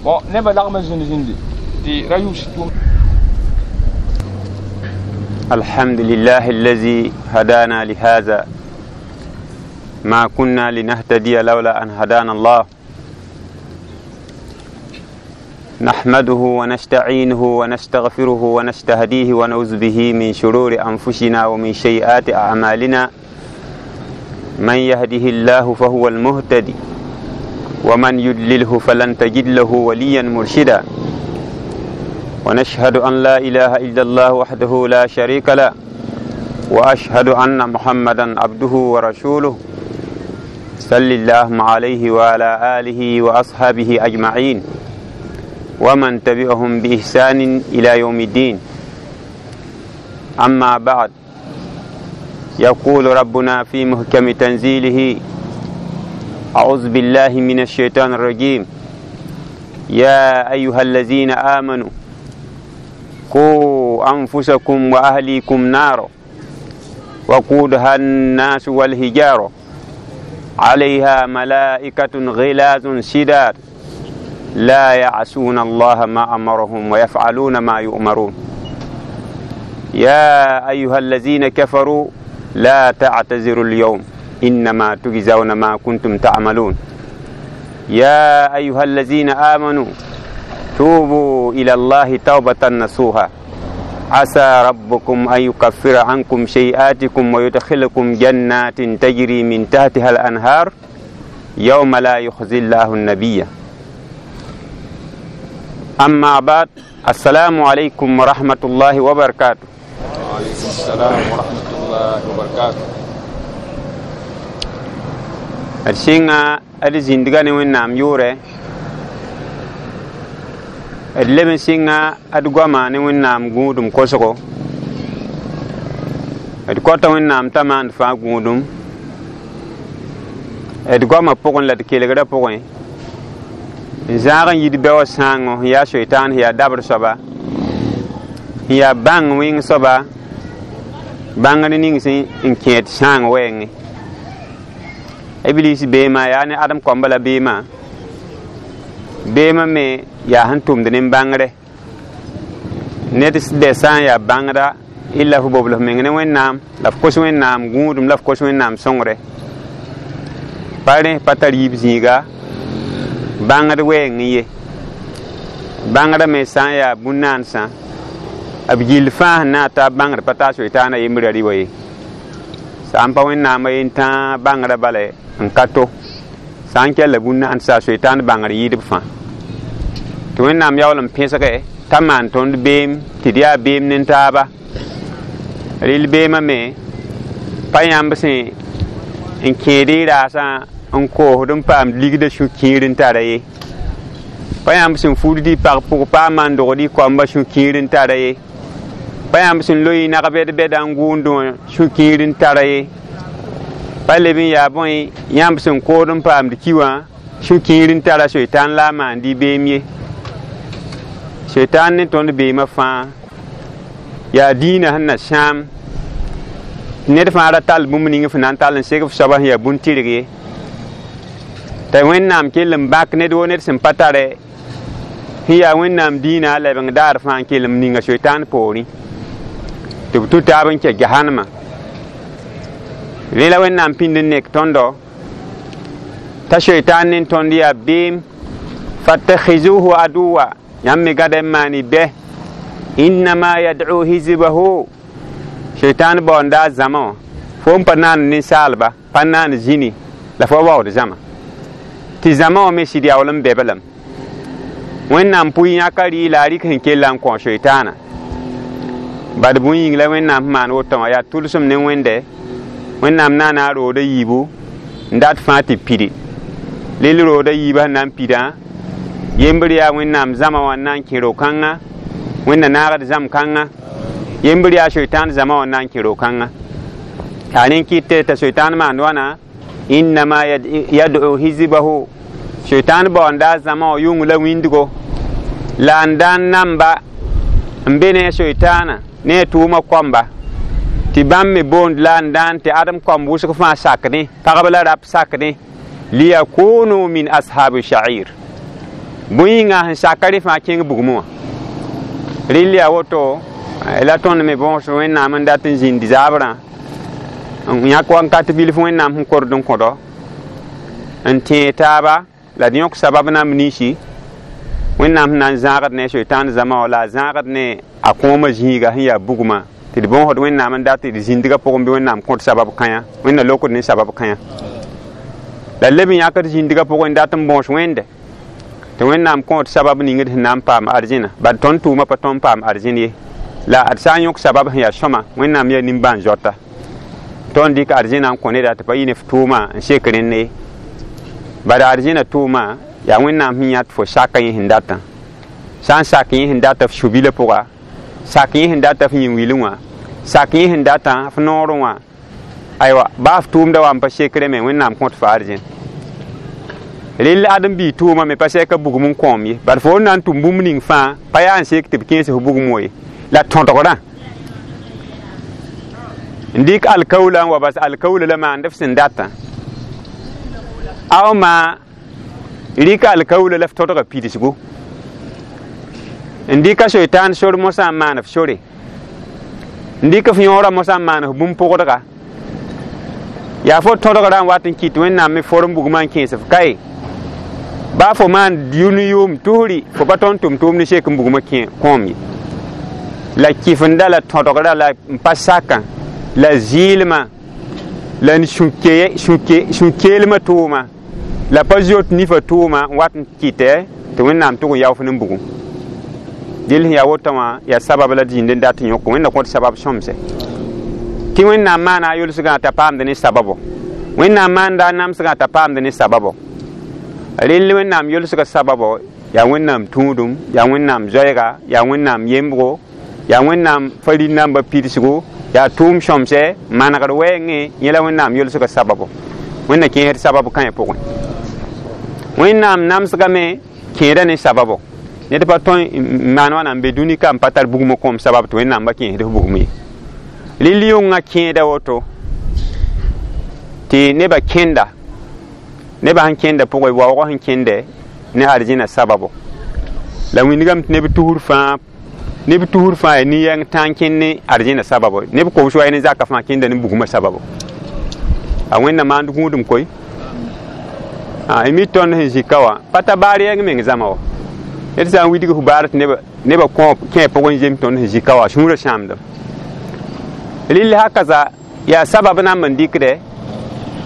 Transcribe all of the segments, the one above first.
Bon, neba lagm n zĩnd zĩndi tɩ ra yʋʋs tʋʋm. الحمد لله الذي هدانا لهذا ما كنا لنهتدي لولا أن هدانا الله. نحمده ونستعينه ونستغفره ونستهديه ونعوذ به من شرور أنفسنا ومن سيئات أعمالنا. من يهده الله فهو المهتدي ومن يضلله فلن تجد له وليا مرشدا. ونشهد أن لا إله إلا الله وحده لا شريك له، وأشهد أن محمدا عبده ورسوله، صلى اللهم عليه وعلى آله وأصحابه أجمعين ومن تبعهم بإحسان إلى يوم الدين. أما بعد، يقول ربنا في محكم تنزيله: أعوذ بالله من الشيطان الرجيم، يا أيها الذين آمنوا قوا أنفسكم وأهليكم نارا وقودها الناس والحجارة عليها ملائكة غلاظ شداد لا يعصون الله ما أمرهم ويفعلون ما يؤمرون. يا أيها الذين كفروا لا تعتذروا اليوم إنما تجزون ما كنتم تعملون. يا أيها الذين آمنوا توبوا إلى الله توبة نصوحا عسى ربكم أن يكفر عنكم سيئاتكم ويدخلكم جنات تجري من تحتها الأنهار يوم لا يخزي الله النبي. أما بعد، السلام عليكم ورحمة الله وبركاته. وعليكم السلام ورحمة الله وبركاته. D sɩnga d zĩndga ne Wẽnnaam yʋʋrɛ, d leb n sɩnga d goama ne Wẽnnaam gũudum kosgo. D kota Wẽnnaam t'a maand fãa gũudum d goamã pʋgẽ la d kelgrã pʋgẽ, n zãag n yid bɛoog sãango sẽn yaa soitaan, sẽn yaa dabr soaba, sẽn yaa bãng wẽng soaba, bãngr ning sẽn n kẽed sãang wɛɛngẽ. Iblis beemã yaa ne Adem kõmba la beemã, beemã me yaa sẽn tʋmd ne bãngre. Ned bɛ sã n yaa bãngda illa f bobl f meng ne Wẽnnaam la f kos Wẽnnaam gũudum la f kos Wẽnnaam sõngre, pa rẽ pa tar yiib zĩiga bãngd wɛɛng ye. Bãngrã me sã n yaa bũn-naansã, b gill fãa sẽn na n taa bãngd pa taa soitaana yembrã rɩ wa ye. Sã n pa Wẽnnaamã yen tãa bãngrã bala n ka to, sã n kell bũn-naansã soitaan bãngr yɩɩdb fãa. Tɩ Wẽnnaam yaool n pẽsge t'a maan tõnd beem tɩ d yaa beem nin-taaba. Rɩl beemã me pa yãmb sẽn n kẽed y raasã n koosd n paam ligdã sũ-kiir n tara ye, pa yãmb sẽn fudd y pag pʋg pa a maan-dogd y koamba sũ-kiir n tara ye, pa yãmb sẽn loe y nag-bɛd-bɛda n gʋʋndẽ wã sũ-kiir n tara ye, pa leb n yaa bõe yãmb sẽn kood n paamd ki wã sũ-kiir n tara soitaan la a maand y beem ye. Soitaan ne tõnd beemã fãa yaa dĩinã sẽn na sãam ned fãa ra tall bũmb ning f na n tall n seg f soaba sẽn yaa bũn-tɩrg ye. T'a Wẽnnaam kell n bãk ned wo ned sẽn pa tare sẽn yaa Wẽnnaam dĩinã a lebeng daar fãa n kell n ninga soitaan poorẽ tɩ b tũ taab n kɛ jahanama. Rẽ la Wẽnnaam pĩnd n nek tõndo t'a soitaan ne tõnd yaa beem. Fattakhizuhu aduwa, yãmb me gãda n maan y bɛ. Innama yad'u hizbahu, soitaan baoonda a zãma wã fo n pa naan ninsaalba, pa naan zĩni la fo waood zãma, tɩ zãma wã me sɩd yaool n bɛblem. Wẽnnaam pʋɩ yãka rɩ la a rɩk sẽn kella n kõ soitaana. Bad bũn yĩng la Wẽnnaam sẽn maan woto wã yaa tʋlsem ne Wẽnde. Wẽnnaam naana a rooda yiibu n dat fãa tɩ pidi. Lel rooda yiibã sẽn na n pidã, yembr yaa Wẽnnaam zãma wã n na n kẽ ro-kãngã, Wẽnna naagd zãm-kãngã, yembr yaa soitaan zãma wã n na n kẽ ro-kãngã. Yaa rẽ n kɩt t'a soitaan maand wãna: innama yad'u hizbahu, soitaan baoonda a zãma wã yʋng la wĩndgo la n da n namba n be ne a soitaana ne a tʋʋmã koamba, tɩ bãmb me boond la n daan tɩ adem koamb wʋsg fãa sakdẽ, pagb la rap sakdẽ, liyakunu min ashabi sha'ir. Bõe yĩnga sẽn saka rẽ fãa kẽng bugmẽ wã. Rɩl yaa woto la tõnd me bõos Wẽnnaam n dat n zĩnd zaabrã n yãk wakat bilf Wẽnnaam sẽn kord n kõdo n tẽeg taaba la d yõk sabab namb ninsi Wẽnnaam sẽn na n zãagd ne soetãan zãma wã la a zãagd ne a kõomã zĩiga sẽn yaa bugmã tɩ d bõosd Wẽnnaam n dat tɩ d zĩndgã pʋgẽ bɩ Wẽnnaam kõt sabab kãyã Wẽnna lokd ne sabab kãyã la leb n yãkd zĩndgã pʋgẽ n dat n bõos Wẽnde tɩ Wẽnnaam kõot sabab ning d sẽn na n paam arzẽna bad tõnd tʋʋmã pa tõnd paam arzẽn ye la d sã n yõk sabab sẽn yaa sõma Wẽnnaam yaa nimbãan-zoata tõnd dɩk arzẽna n kõ neda tɩ pa yɩ ne f tʋʋma n sek rẽnd ye bala arzẽna tʋʋma yaa Wẽnnaam sẽn yã tɩ fo saka yẽ sẽn datã sã n sak yẽ sẽn data f su-bilã pʋga sak yẽ sẽn data f yĩn-wilẽ wã sak yẽ sẽn datã f noorẽ wã aywa baa f tʋʋmda wa n pa sekrẽ me Wẽnnaam kõt fa arzẽn rel ãdem-biig tʋʋma me pa sɛka bugum n kõom ye bad fo na n tʋm bũmb ning fãa pa yaa n sek tɩ b kẽes f bugum wã ye la tõdgrã n dɩk alkaoola n wa bas alkaoola la maand f sẽn datã a maa rɩka alkaoola la f tõdga pidsgo n dɩka soetãan sor mosã n maan f sore n dɩk f yõorã mosã n maan f bũmb pʋgdga yaa fo tõdgrã n wat n kɩt Wẽnnaam me form bugmã n kẽes f kaye baa fo maan yʋʋm tusri fo pa tõnd tʋm tʋʋmd sek n bugmã kõom ye la kɩfenda la tõdgrã la n pa sakã la zɩɩlmã la n sũ-keelmã tʋʋma la pa zoet nifã tʋʋma n wat n kɩtɛ tɩ Wẽnnaam tʋg n yaof ne bugum dɩl sẽn yaa wotã wã yaa sabab la d zĩnd n dat n yõk Wẽnna kõt sabab sõmse tɩ Wẽnnaam maana a yolsgã t'a paamd ne sababo Wẽnnaam maanda a namsgã t'a paamd ne sababo rel Wẽnnaam yolsga sababo yaa Wẽnnaam tũudum yaa Wẽnnaam zoɛɛga yaa Wẽnnaam yembgo yaa Wẽnnaam farin-nambã pidsgo yaa tʋʋm sõmsɛ manegd wɛɛngẽ yẽ la Wẽnnaam yolsga sababo Wẽnna kẽesd sabab kãyã pʋgẽ Wẽnnaam namsgame kẽeda ne sababo ned pa tõe n maan wãna n be dũni ka n pa tar bugmã kõom sabab tɩ Wẽnnaam ba kẽesd f bugum ye rɩl yʋngã kẽeda woto tɩ nebã kẽnda nebã sẽn kẽnda pʋgẽ waoogã sẽn kẽndɛ ne arzẽna sababo la wĩndgame tɩ neb tusr fãa neb tusr fãa yaa nin-yɛng tã n kẽnd ne arzẽna sababo neb kobs wa ne zaka fãa kẽnda ne bugmã sababo a Wẽnna maand gũudum koe y mi tõnd sẽn zĩ ka wã pa ta baar yɛng meng zãma wa ned sã n widg f baar tɩ nebã kẽ pʋgẽ n zem tõnd sẽn zĩ ka wã sũurã sãamdem rɩl hakaza yaa sabab namb n dɩkdɛ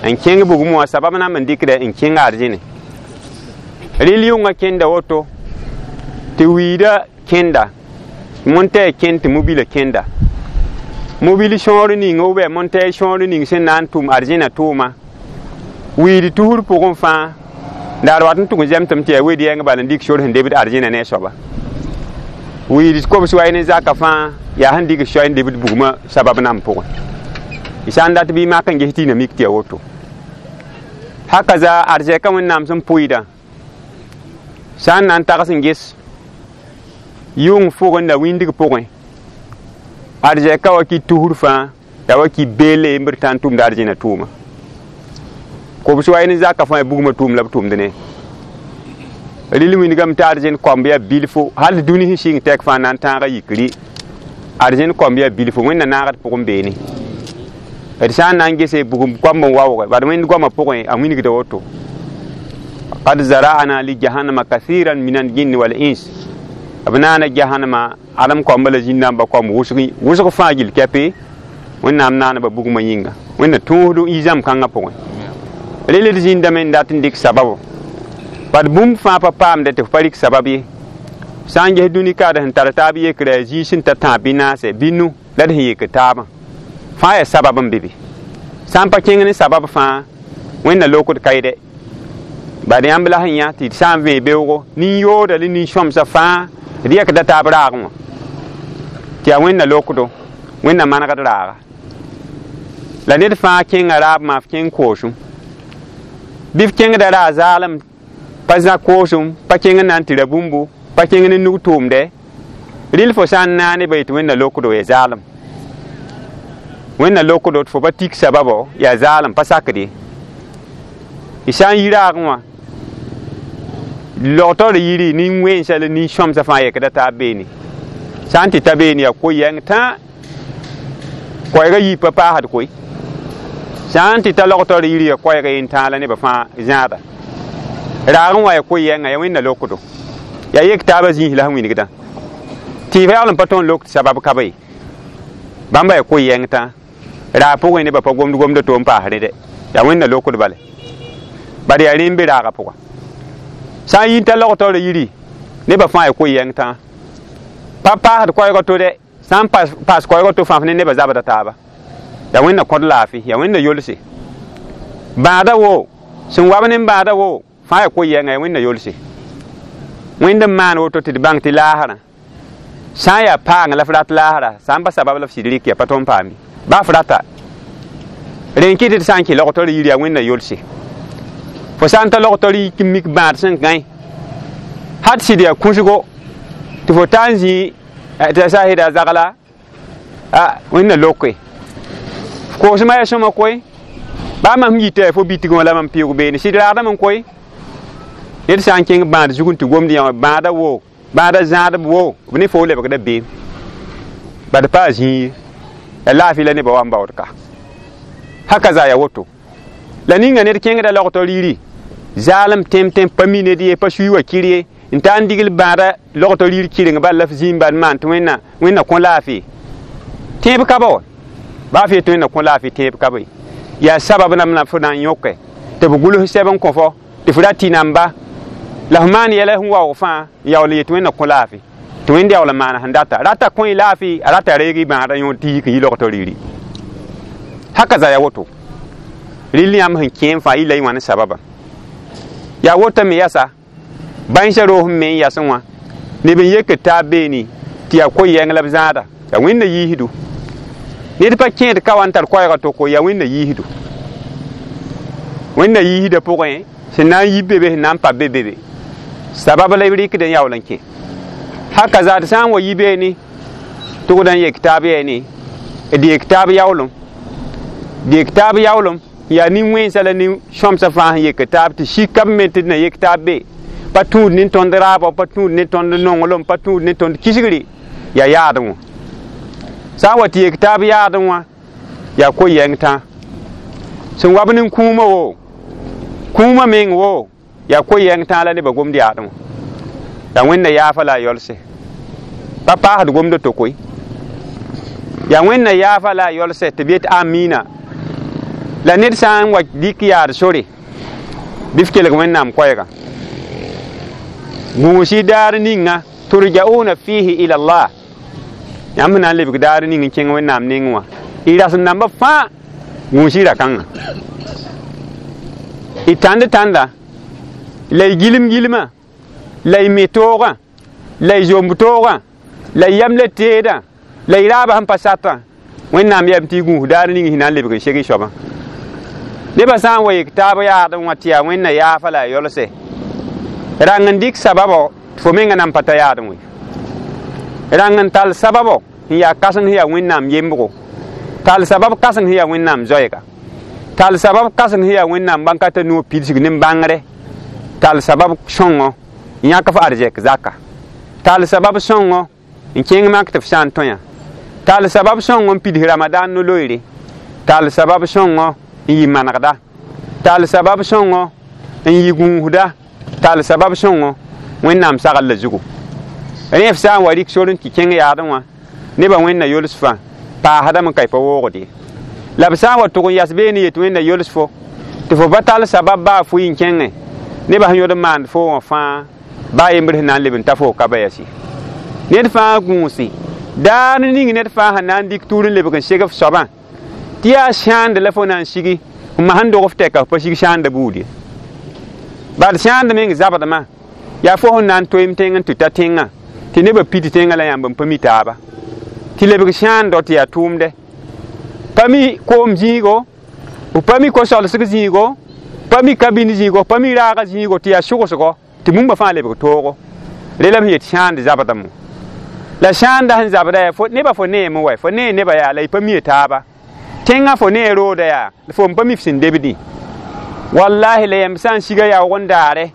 n kẽng bugum wã sabab namb n dɩkdɛ n kẽng arzẽne rɩl yʋngã kẽnda woto tɩ wiida kẽnda montɛɛ kẽnd tɩ mobila kẽnda mobil sõor ning ou bɩ montɛɛ sõor ning sẽn na n tʋm arzẽna tʋʋma wiid tusr pʋgẽ fãa daar wat n tʋg n zɛmtame tɩ yaa wed yɛng bal n dɩk sor sẽn debd arzẽna ne a soaba wiid kobs wa ne zaka fãa yaa sẽn dɩk soay n debd bugmã sabab namb pʋgẽ y sã n dat bɩ mak n ges tɩ y na mik tɩ yaa woto haka za arzɛka Wẽnnaam sẽn pʋɩdã sã n na n tags n ges yʋng fʋgẽ la wĩndg pʋgẽ arzɛka wa ki tusr fãa la wa ki beele n b tã n tʋmda arzẽna tʋʋma kobs wa ne zaka fãa bugmã tʋʋm la b tʋmd ne rɩl wĩndgame tɩ arzẽn koamb yaa bilfo hal dũni sẽn sɩng tɛk fãa na n tãaga yikri arzẽn koamb yaa bilfo Wẽnna naagd pʋgẽ beene d sã n na n gese bugum koamb n waooge bad Wẽnd goamã pʋgẽ a wĩnigda woto qad zara'ana li jahannama kathiran min al-jinni wal ins b naana jahannama adem koamba la zĩn-nambã koamb wʋsg fãa gill kɛpe Wẽnnaam naaneba bugmã yĩnga Wẽnna tõosd y zãmb kãngã pʋgẽ rel d zĩndame n dat n dɩk sababo bad bũmb fãa pa paamdɛ tɩ f pa rɩk sabab ye sã n ges dũni kaad sẽn tar taab yekrã yaa zĩig sẽn ta tãab bɩ naase bɩ nu la d sẽn yek taabã fãa yaa sabab n be be sã n pa kẽng ne sabab fãa Wẽnna lokd kaɩdɛ bad yãmb la sẽn yã tɩ d sã n vẽe beoogo nin-yooda la nin-sõmsã fãa d yɛkda taab raagẽ wã tɩ yaa Wẽnna lokdo Wẽnna manegd raaga la ned fãa kẽnga raab maa f kẽng koosem bɩ f kẽngda raa zaalem pa zã koosem pa kẽng n na n tɩ ra bũmbu pa kẽng ne nug tʋʋmdɛ rɩl fo sã n naane ba yetɩ Wẽnna lokdo yaa zaalem Wẽnna lokdo tɩ fo pa tik sababo yaa zaalem pa sakd ye y sã n yi raagẽ wã Log-taoor yiri nin-wẽnsa la nin-sõmsã fãa yekda taab beene sã n tɩ ta beene yaa ko-yɛng tã koɛɛgã yii pa paasd koe sã n tɩ ta log-taoor yiri yaa koɛɛgã yen tãa la nebã fãa zãada raag n wa ya ko-yɛngã ya wẽnna lokdo yaa yek taabã zĩis la sẽn wilgdã tɩ f yaool n pa tõe n lok tɩ sabab ka be bãmba ya ko-yɛng tã raag pʋgẽ nebã pa gomd gomda to n paas rẽde yaa wẽnna lokd bale bad yaa rẽ n be raagã pʋga sã n yi n ta log-taoorã yiri nebã fãa ya ko-yɛng tã pa paasd koɛɛgã to dɛ sã n paas koɛɛgã to fãa ne nebã zabda taaba yaa wẽnna kõd laafɩ yaa wẽnna yolse bãada wo sẽn wab ne bãada wo fãa ya ko-yɛngã yaa wẽnna yolse wẽnd n maan woto tɩ d bãng tɩ laasrã sã n yaa paang la f rat laasra sã n pa sabab la f sɩd rɩk yaa pa tõe n paam baa f rata rẽ n kɩt tɩ sã n kẽ log-taoor yiri yaa wẽnna yolse fo sã n ta log-taoor yik n mik bãad sẽn gãe hat sɩd yaa kũsgo tɩ fo ta n zĩ tɩ sa sɩda zagla a wẽnna loke koosmã yaa sõma koe baa mam yita fo bitg wã la mam pɩʋg beene sɩd raadame n koe ned sã n kẽng bãad zug n tɩ gomd yã bãada wo bãada zãadb wo b ne fo lebgda beem bad pa a zĩig ya laafɩ la nebã wa n baood ka haka za ya woto la ninga ned kẽngda log-taoor yiri zaalem tẽm-tẽm pa mi ned ye pa sui wa kir ye n ta n digl bãada log-taoor yir kɩreng bal la f zĩig bad maan tɩ wẽnna wẽnna kõ laafɩ tẽeb ka ba wa baa f yet tɩ wẽnna kõ laafɩ tẽeb ka be yaa sabab nam la fo na n yõke tɩ b gʋls sɛb n kõ fo tɩ f ra tɩ namba la f maan yɛla sẽn waoog fãa n yaool n yet wẽnna kõ laafɩ tɩ wẽnd yaool n maana sẽn data rata kõ y laafɩ a rata reeg y bãada yõod tɩ yik n yi log-taoor yiri haka za ya woto rɩl yãmb sẽn kẽem fãa yilla y wãn sababa yaa wotame yasa bãensã roos n me n yasẽ wã neb n yek taab beene tɩ yaa ko-yɛng la b zãada yaa wẽnna yiisdu ned pa kẽed ka wa n tar koɛɛgã toko yaa wẽnna yiisdu wẽnna yiisdã pʋgẽ sẽn na n yi be be sẽn na n pa be be be sabab la b rɩkd n yaool n kẽ haka zaad sã n wa yi beene tʋgd n yek taab yɛɛne d yek taab yaoolem d yek taab yaoolem yaa nin-wẽnsã la nin-sõmsã fãa sẽn yek taab tɩ sika b me tɩ d na yek taab be pa tũud ne tõnd raabã pa tũud ne tõnd nonglem pa tũud ne tõnd kisgre yaa yaadẽ wã sã n wa tɩ yek taab yaadẽ wã yaa ko-yɛng tã sẽn wab ne kũumã wo kũumã meng wo yaa ko-yɛng tã la nebã gomd yaadẽ wã yaa wẽnna yaafa la a yolse pa paasd gomdã to koe yaa wẽnna yaafa la a yolse tɩ b yet amina la ned sã n wa dɩk yaad sore bɩ f kelg wẽnnaam koɛɛga gũusi daar ninga turja'una fihi ila Allah yãmb na n lebg daar ning n kẽng wẽnnaam neng wã y rasem dãmbã fãa gũusi ra-kãngã y tãnd tãnda la y gilem gilmã la y me toogã la y zomb toogã la y yam la teedã la y raabã sẽn pa satã wẽnnaam yam tɩ y gũus daar ning sẽn na n lebg n seg y soabã nebã sã n wa yek taab yaadẽ wã tɩ yaa wẽnna yaafa la a yolse rãng n dɩk sababo tɩ fo menga nan pa ta yaadẽ wẽ rãng n tall sababo n yaa kãseng sẽn yaa wẽnnaam yembgo tall sabab kãseng sẽn yaa wẽnnaam zoɛɛga tall sabab kãseng sẽn yaa wẽnnaam bãn-kata noog pidsg ne bãngre tall sabab sõngo n yãk f arzɛk zaka tall sabab sõngo n kẽng mak tɩ f sã n tõe tall sabab sõngo n pids ramadan no-loeere tall sabab sõngo n yɩ manegda tall sabab sõngo n yɩ gũusda tall sabab sõngo wẽnnaam sagl la zugu rẽ f sã n wa rɩk sor n tɩ kẽng yaadẽ wã nebã wẽnna yols fãa paasdame n ka y pa woogd ye la b sã n wa tʋg n yas beene yet wẽnna yols fo tɩ fo pa tall sabab baa fʋɩ n kẽngẽ nebã sẽn yõd n maand fo wã fãa baa yembr sẽn na n leb n ta fo ka ba yasi ned fãa gũusi daar ning ned fãa sẽn na n dɩk tʋʋr n lebg n seg f soabã tɩ yaa sãand la fo na n sigi n mas n dog f tɛka f pa sig sãanda buud ye bad sãand meng zabdmã yaa fo sẽn na n toeem tẽng n tɩ ta tẽngã tɩ nebã pid tẽngã la yãmb n pa mi taaba tɩ lebg sãando tɩ yaa tʋʋmdɛ pa mi koom zĩigo pa mi ko-solsg zĩigo pa mi kabin zĩigo pa mi raagã zĩigo tɩ yaa sʋgsgo tɩ bũmba fãa lebg toogo re la b sẽn yet sãand zabdame la sãanda sẽn zabda yaa nebã fo neeme wa fo nee nebã yaa la y pa mie taaba tẽngã fo nee rooda yaa fo n pa mi f sẽn debdẽ wallahi la yãmb sã n siga yaoog n daare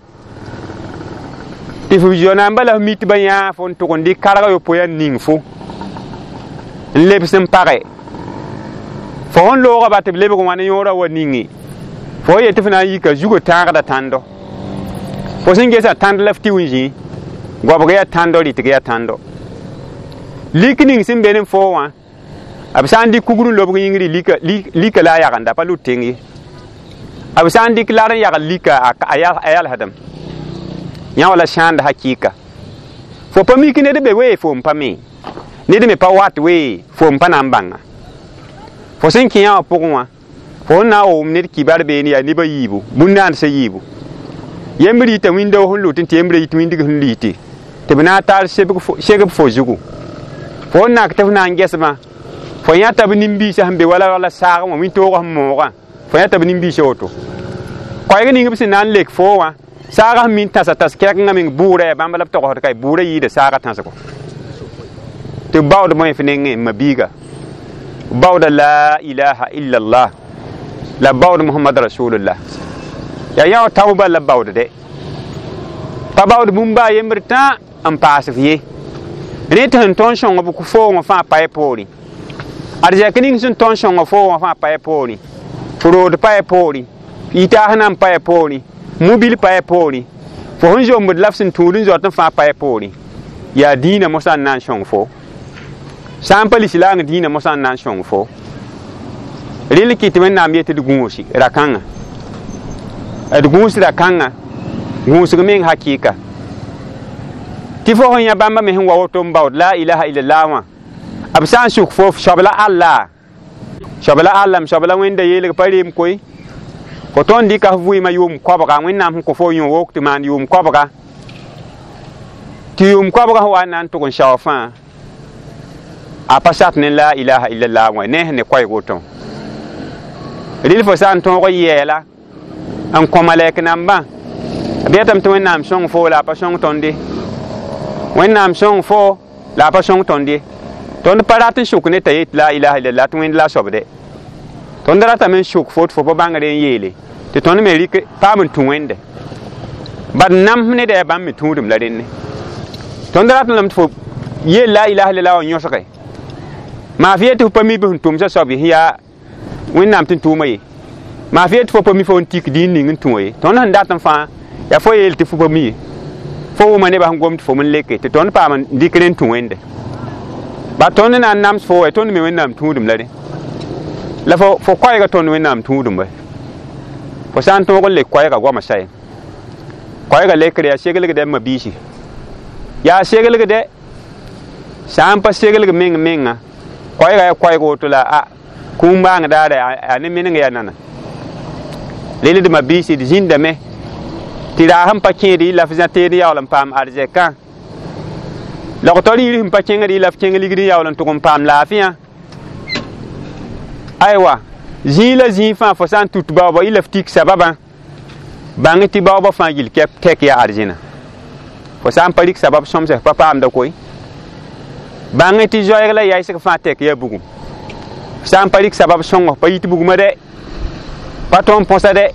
Tɩ f zonaamba la f mi tɩ ba yãa fo n tʋg n dɩk karga yopoe n ning fo n lebs n page fo sẽn looga ba tɩ b lebg wã ne yõorã wa ninge fo yet tɩ f na n yika zugã tãagda tãndo fo sẽn gesa tãnd la f tɩ n zĩ goabg yaa tãndo rɩtg yaa tãndo lik ning sẽn be ne fo wã b sã n dɩk kugr n lobg yĩngri lika la a yagenda pa lut tẽng ye b sã n dɩk lar n yagl lika a yalsdem yã wala sãanda hakɩɩka fo pa mik ned be wee fo n pa me ned me pa wat wee fo n pa na n bãnga fo sẽn kẽ yã wã pʋgẽ wã fo sẽn na n wʋm ned kibar beene yaa neba yiibu bũn-naandsã yiibu yembr yita wĩndao sẽn lut n tɩ yembrã yit wĩndg sẽn liite tɩ b na n tar segb fo zugu fo sẽn nak tɩ f na n gɛsmã fo yãta b nin-biisã sẽn be wala wala saag wã wĩntoogã sẽn moogã fo yãta b nin-biisã woto koɛɛg ning b sẽn na n lek fo wã saagã sẽn min tãsa tãs kɛkengã meng bʋʋra yaa bãmb la b togsd ka bʋʋra yɩɩda saagã tãsgo tɩ b baood bõe f nengẽ ma biiga baooda la ilaha illallah la baood Muhammad rasulullah yaa yã wã tao bal la baood dɛ pa baood bũmb baa yembr tã n paas f ye rẽ tɩ sẽn tõnd sõng b foongã fãa pa y poorẽ arzɛk ning sẽn tõnd sõnga fo wã fãa pa y poorẽ fo rood pa y poorẽ yitaas nan pa y poorẽ mobil pa y poorẽ fo sẽn zombd la f sẽn tũud n zoat n fãa pa y poorẽ yaa dĩinã mosã n na n sõng fo sã n pa lislaang dĩinã mosã n na n sõng fo rel kɩ tɩ Wẽnnaam yetɩ d gũusi ra-kãngã d gũus ra-kãngã gũusg meng hakɩɩka tɩ fo sẽn yã bãmba me sẽn wa woto n baood la ilaha illallah wã b sã n suk fo soabla Allah soabla Allah m soabla Wẽnda yeelg pa reem koe fo tõnd dɩka f vɩɩmã yʋʋm koabga Wẽnnaam sẽn kõ fo yõ wok tɩ maan yʋʋm koabga tɩ yʋʋm koabga sẽn wa n na n tʋg n sao fãa a pa sat ne la ilaha illallah wã ne sẽn ne koɛɛg woto rɩl fo sã n tõog n yɛɛla n kõ malɛk nambã b yetame tɩ Wẽnnaam sõng fo la a pa sõng tõnd ye Wẽnnaam sõng fo la a pa sõng tõnd ye tõnd pa rat n sʋk ne t'a yet la ilaha illallah tɩ Wẽnd la a soabde tõnd ratame n sʋk fo tɩ fo pa bãngre n yeele tɩ tõnd me rɩk paam n tũ Wẽnde bad namsem neda yaa bãmb me tũudem la rẽnne tõnd ratame lame tɩ fo yeel la ilaha illallah wã yõsge maa f yet tɩ fo pa mi bɩ sẽn tʋmsã soab ye sẽn yaa Wẽnnaam tɩ n tʋʋma ye maa f yet tɩ fo pa mi fo n tik dĩin ning n tũ ye tõnd sẽn dat n fãa yaa fo yeel tɩ fo pa mi ye fo wʋma nebã sẽn gom tɩ fo n leke tɩ tõnd paam n dɩk rẽ n tũ Wẽnde ba tõnd na n nams fo wa tõnd me Wẽnnaam tũudum la rẽ la fo koɛɛga tõnd Wẽnnaam tũudum wa fo sã n tõog n lek koɛɛga goamã sa ye koɛɛga lekre yaa seglgdɛ m mabiisi yaa seglgdɛ sã n pa seglg meng menga koɛɛga yaa koɛɛg woto la a kũum baang daara a ne meneng yaa nana rel d mabiisi d zĩndame tɩ raas n pa kẽed y la f zã teed yaool n paam arzɛkã logtɔ riir sẽn pa kẽngd y la f kẽng ligd n yaool n tʋg n paam laafɩyã aywa zĩig la zĩig fãa fo sã n tut baoobã y la f tik sababã bãng tɩ baoobã fãa gill kɛp tɛk yaa arzẽna fo sã n pa rɩk sabab sõmsɛ pa paamda koe bãng tɩ zoɛɛg la yaɩsg fãa tɛk yaa bugum fo sã n pa rɩk sabab sõngo pa yit bugmã dɛ pa tõnd põsa dɛ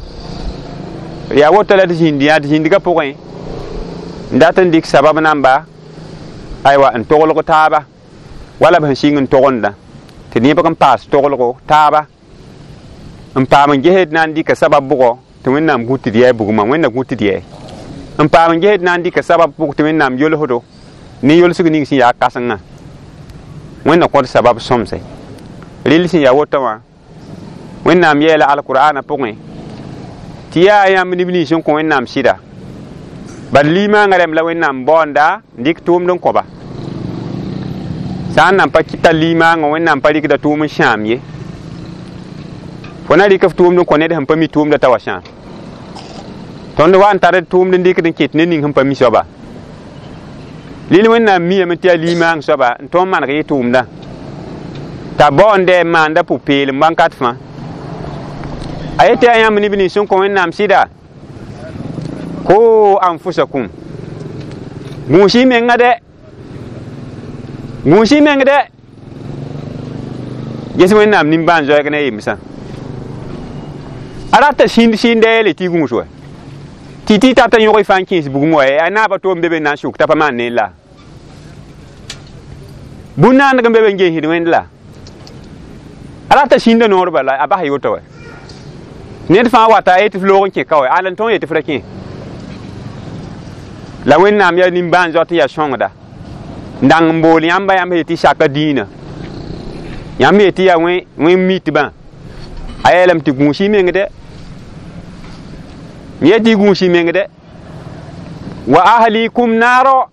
yaa woto la d zĩnd yã d zĩndgã pʋgẽ n dat n dɩk sabab namba aywa n toglg taaba wala b sẽn sɩng n togenda tɩ nebg n paas toglgo taaba n paam n gesd na n dɩka sabab bʋgɔ tɩ Wẽnnaam gũ tɩ d yɛɛ bugmã Wẽnna gũ tɩ d yɛɛ n paam n gesd na n dɩka sabab bʋg tɩ Wẽnnaam yolsdo ne yolsg ning sẽn yaa kãsengã Wẽnna kõt sabab sõmse rɩl sẽn yaa woto wã Wẽnnaam yɛɛla alkur'aanã pʋgẽ tɩ yaa yãmb neb nins sẽn kõ Wẽnnaam sɩda bad limaangã rẽmb la Wẽnnaam baoonda n dɩk tʋʋmd n kõba sã n nan pa tar limaangã Wẽnnaam pa rɩkda tʋʋm n sãam ye fo na rɩk f tʋʋmd n kõ ned sẽn pa mi tʋʋmda t'a wa sãam tõnd wa n tar d tʋʋmd n dɩkd n ket ned ning sẽn pa mi soaba lil Wẽnnaam miyame tɩ yaa limaang soaba n tõnd maneg yɩ tʋʋmdã t'a baoonda n maanda pʋ-peelem wãnkat fãa a yetɩ yaa yãmb neb nins sẽn kõ Wẽnnaam sɩda ko anfusakum gũus-y menga dɛ gũus-y meng dɛ ges Wẽnnaam nimbãan-zoɛɛg ne a yemsã a rata sĩnd sĩnda yeele tɩ y gũus wa tɩ Tɩ tɩ tata yõg fãa n kẽes bugum wa a naabã toom be be n na n sʋk t'a pa maan neel la bũn-naandg n be be n geesd wẽnd la a rata sĩnda noor bala a bas yoto wa ned fãa wata a yetɩ f loog n kẽ ka wa ala n tõog yetɩ f ra kẽ la Wẽnnaam yaa nimbãan-zoat n yaa sõngda n dang n bool yãmba yãmb yetɩ saka dĩinã yãmb yetɩ yaa wẽn mitbã a yeelame tɩ gũus y meng dɛ yetɩ y gũus y meng dɛ wa ahlikum naaro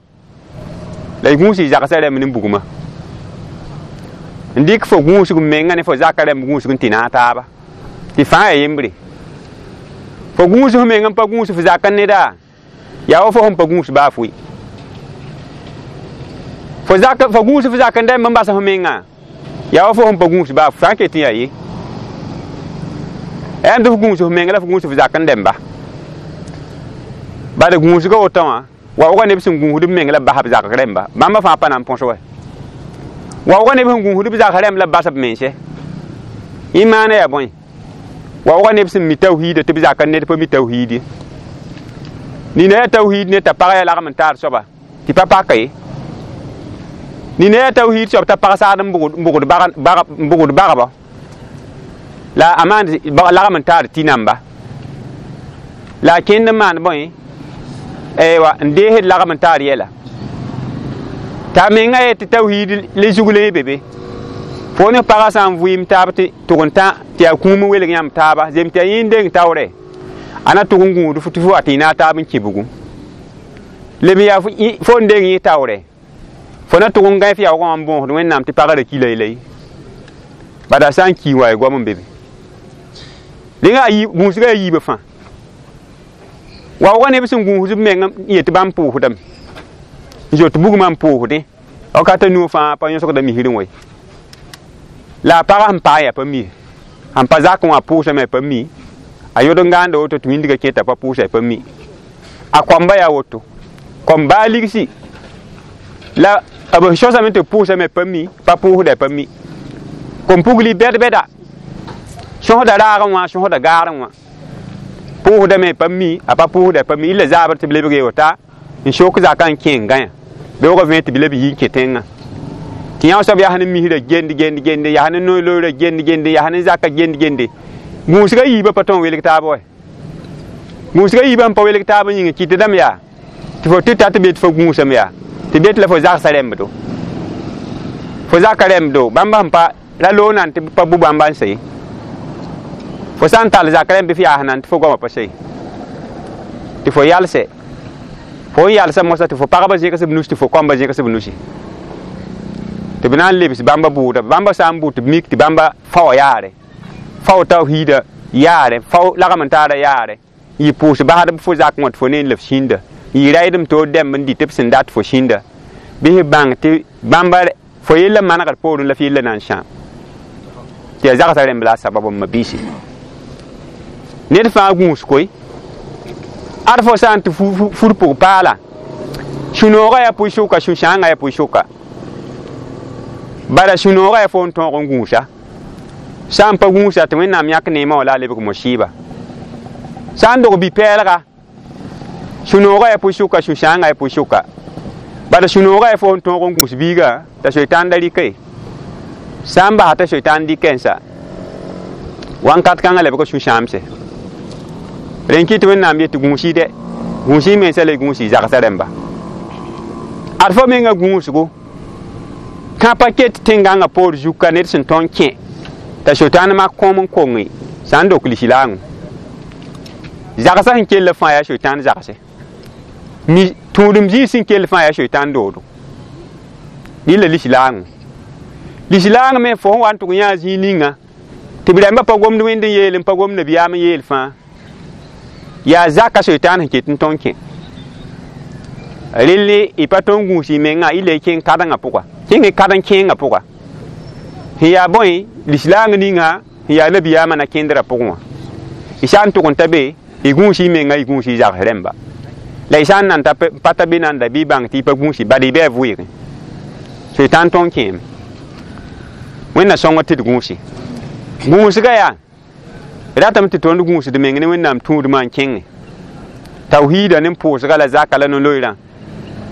la y gũus y zagsã rɛmb ne bugmã n dɩk fo gũusg menga ne fo zaka rɛmb gũusg n tɩ naag taaba tɩ fãa yaa yembre fo gũus f meng n pa gũus f zak n neda yaa wa fo sẽn pa gũus baa fʋɩ fo zak fo gũus f zak n rɛmb n bas f menga yaa wa fo sẽn pa gũus baa fʋ sã n ket n yaa ye yaa tɩ f gũus f meng la f gũus f zak n rɛmba bala gũusga woto wã waoogã neb sẽn gũusd b meng la bas b zak rɛmba bãmba fãa pa na n põs wa waoogã neb sẽn gũusd b zak rɛmb la bas b mense y maana yaa bõe waoogã neb sẽn mi tawhiida tɩ b zak n ned pa mi tawhiid ye nina yaa tawhiid ne t'a pag yaa lagm n taar soaba tɩ pa paka ye nina yaa tawhiid soab t'a pag saad n bʋgd bagba la a maan lagm n taar tɩ namba la a kẽnd n maan bõe aywa n deesd lagm n taar yɛla t'a menga yetɩ tawhiid le zug le be be fo ne pagã sã n vɩɩm taab tɩ tʋg n tã tɩ yaa kũum n welg yãmb taaba zem tɩ yaa yẽ n deng taoorɛ a na tʋg n gũud tɩ fo wa tɩ y naag taab n kẽ bugum leb yaa fo n deng yẽ taoorɛ fo na tʋg n gãe f yaoogã wã n bõosd Wẽnnaam tɩ pagã ra ki laylay bada sã n ki wa y goam n be be rẽnga gũusgã yaa yiibã fãa waoogã neb sẽn gũusd b meng n yet bãmb pʋʋsdame n zoet bugmã n pʋʋsdẽ wakatã nuo fãa pa yõsgda misrẽ wɛ la a pagã sẽn paam yaa pa mi sẽn pa zakẽ wã pʋʋsame pa mi a yod n gãanda woto tɩ wĩndgã kẽ t'a pa pʋʋsa pa mi a koamba yaa woto kom baa ligsi la b sõsame tɩ pʋʋsame pa mi pa pʋʋsda pa mi kom pugli bɛd-bɛda sõsda raagẽ wã sõsda gaarẽ wã pʋʋsdame pa mi a pa pʋʋsda pa mi illa zaabr tɩ b lebg yeota n sok zakã n kẽ n gãyã beoogã vẽ tɩ b leb yi n kẽ tẽngã tɩ yã soab yaa ne misrã gend gend gende yaa ne noy-looorã gend gende yaa ne zakã gend gende gũusgã yiibã pa tõe n welg taab wa gũusgã yiibã n pa welg taab n yĩnga kɩt dãmb yaa tɩ fo tɩ ta tɩ be tɩ fo gũusame yaa tɩ be tɩ la fo zagsã rɛmbdo fo zaka rɛmbdo bãmba sẽn pa ra loog nan tɩ pa bʋ bãmba n se fo sã n tall zak rẽmb bɩ f yaas nan tɩ fo goamã pa se tɩ fo yalsɛ fo n yalsa mosã tɩ fo pagba zẽgs b nus tɩ fo kõmba zẽgs b nusi tɩ b na n lebs bãmba bʋʋda bãmba sã n bʋ tɩ b mik tɩ bãmba fao yaare fao tawhiida yaare fao lagm n taara yaare n yɩ pʋʋs basdb fo zakẽ wã tɩ fo ne n leb sĩnda n yɩ raydem toor dɛmb n dɩ tɩ b sẽn dat fo sĩnda bɩ f bãng tɩ bãmba fo yella manegd poorẽ la f yella na n sãam tɩ yaa zagsã rẽmb la a sabab n ma biisi ned fãa gũus koe ad fo sã n tɩ fur pʋg paala sũ-noogã yaa pʋɩ-sʋka sũ-sãangã yaa pʋɩ-sʋka bala sũ-noogã yaa fo n tõog n gũusa sã n pa gũusa tɩ Wẽnnaam yãk neemã wã la a lebg mosiiba sã n dog bi-pɛɛlga sũ-noogã yaa pʋɩ-sʋka sũ-sãangã yaa pʋɩ-sʋka bala sũ-noogã yaa fo n tõog n gũus biiga t'a soetãn da rɩka ye sã n basa t'a soetãn dɩkɛ n sa wãnkat kãngã lebg sũ-sãamse rẽn kɩ tɩ Wẽnnaam yetɩ gũus-y dɛ gũus-y mensã la y gũus-y zagsã rẽmba ad fo mengã gũusgo kã pa ket tẽn-gãngã poor zuka ned sẽn tõe n kẽ t'a soetãn mak kõom n konge sã n dok lislaangõ zagsã sẽn kell fãa yaa soetãn zagse mi tũudem zĩig sẽn kell fãa yaa soetãn doodo rɩla lislaangõ lislaang me fo sẽn wa n tʋg yã zĩig ninga tɩ b rãmbã pa gomd wẽnd n yeel n pa gomd nabiyaam n yeel fãa yaa zaka soetãn sẽn ket n tõe n kẽ relle y pa tõe n gũus y mengã y le kẽng kadengã pʋga kẽng kadeng kẽengã pʋga sẽn yaa bõe lislaang ninga sẽn yaa nabiyaamã na kẽndrã pʋgẽ wã y sã n tʋg n ta be y gũus y menga y gũus y zags rẽmba la y sã n nan pa ta be nanda bɩ y bãng tɩ y pa gũusi bala y bɩ a vʋɩɩgẽ soetãn tõe n kẽeme Wẽnna sõngr tɩ d gũusi gũusga yaa ratame tɩ tõnd gũusd meng ne Wẽnnaam tũudmã n kẽngẽ Tawhiida ne pʋʋsga la zaka la no-loeerã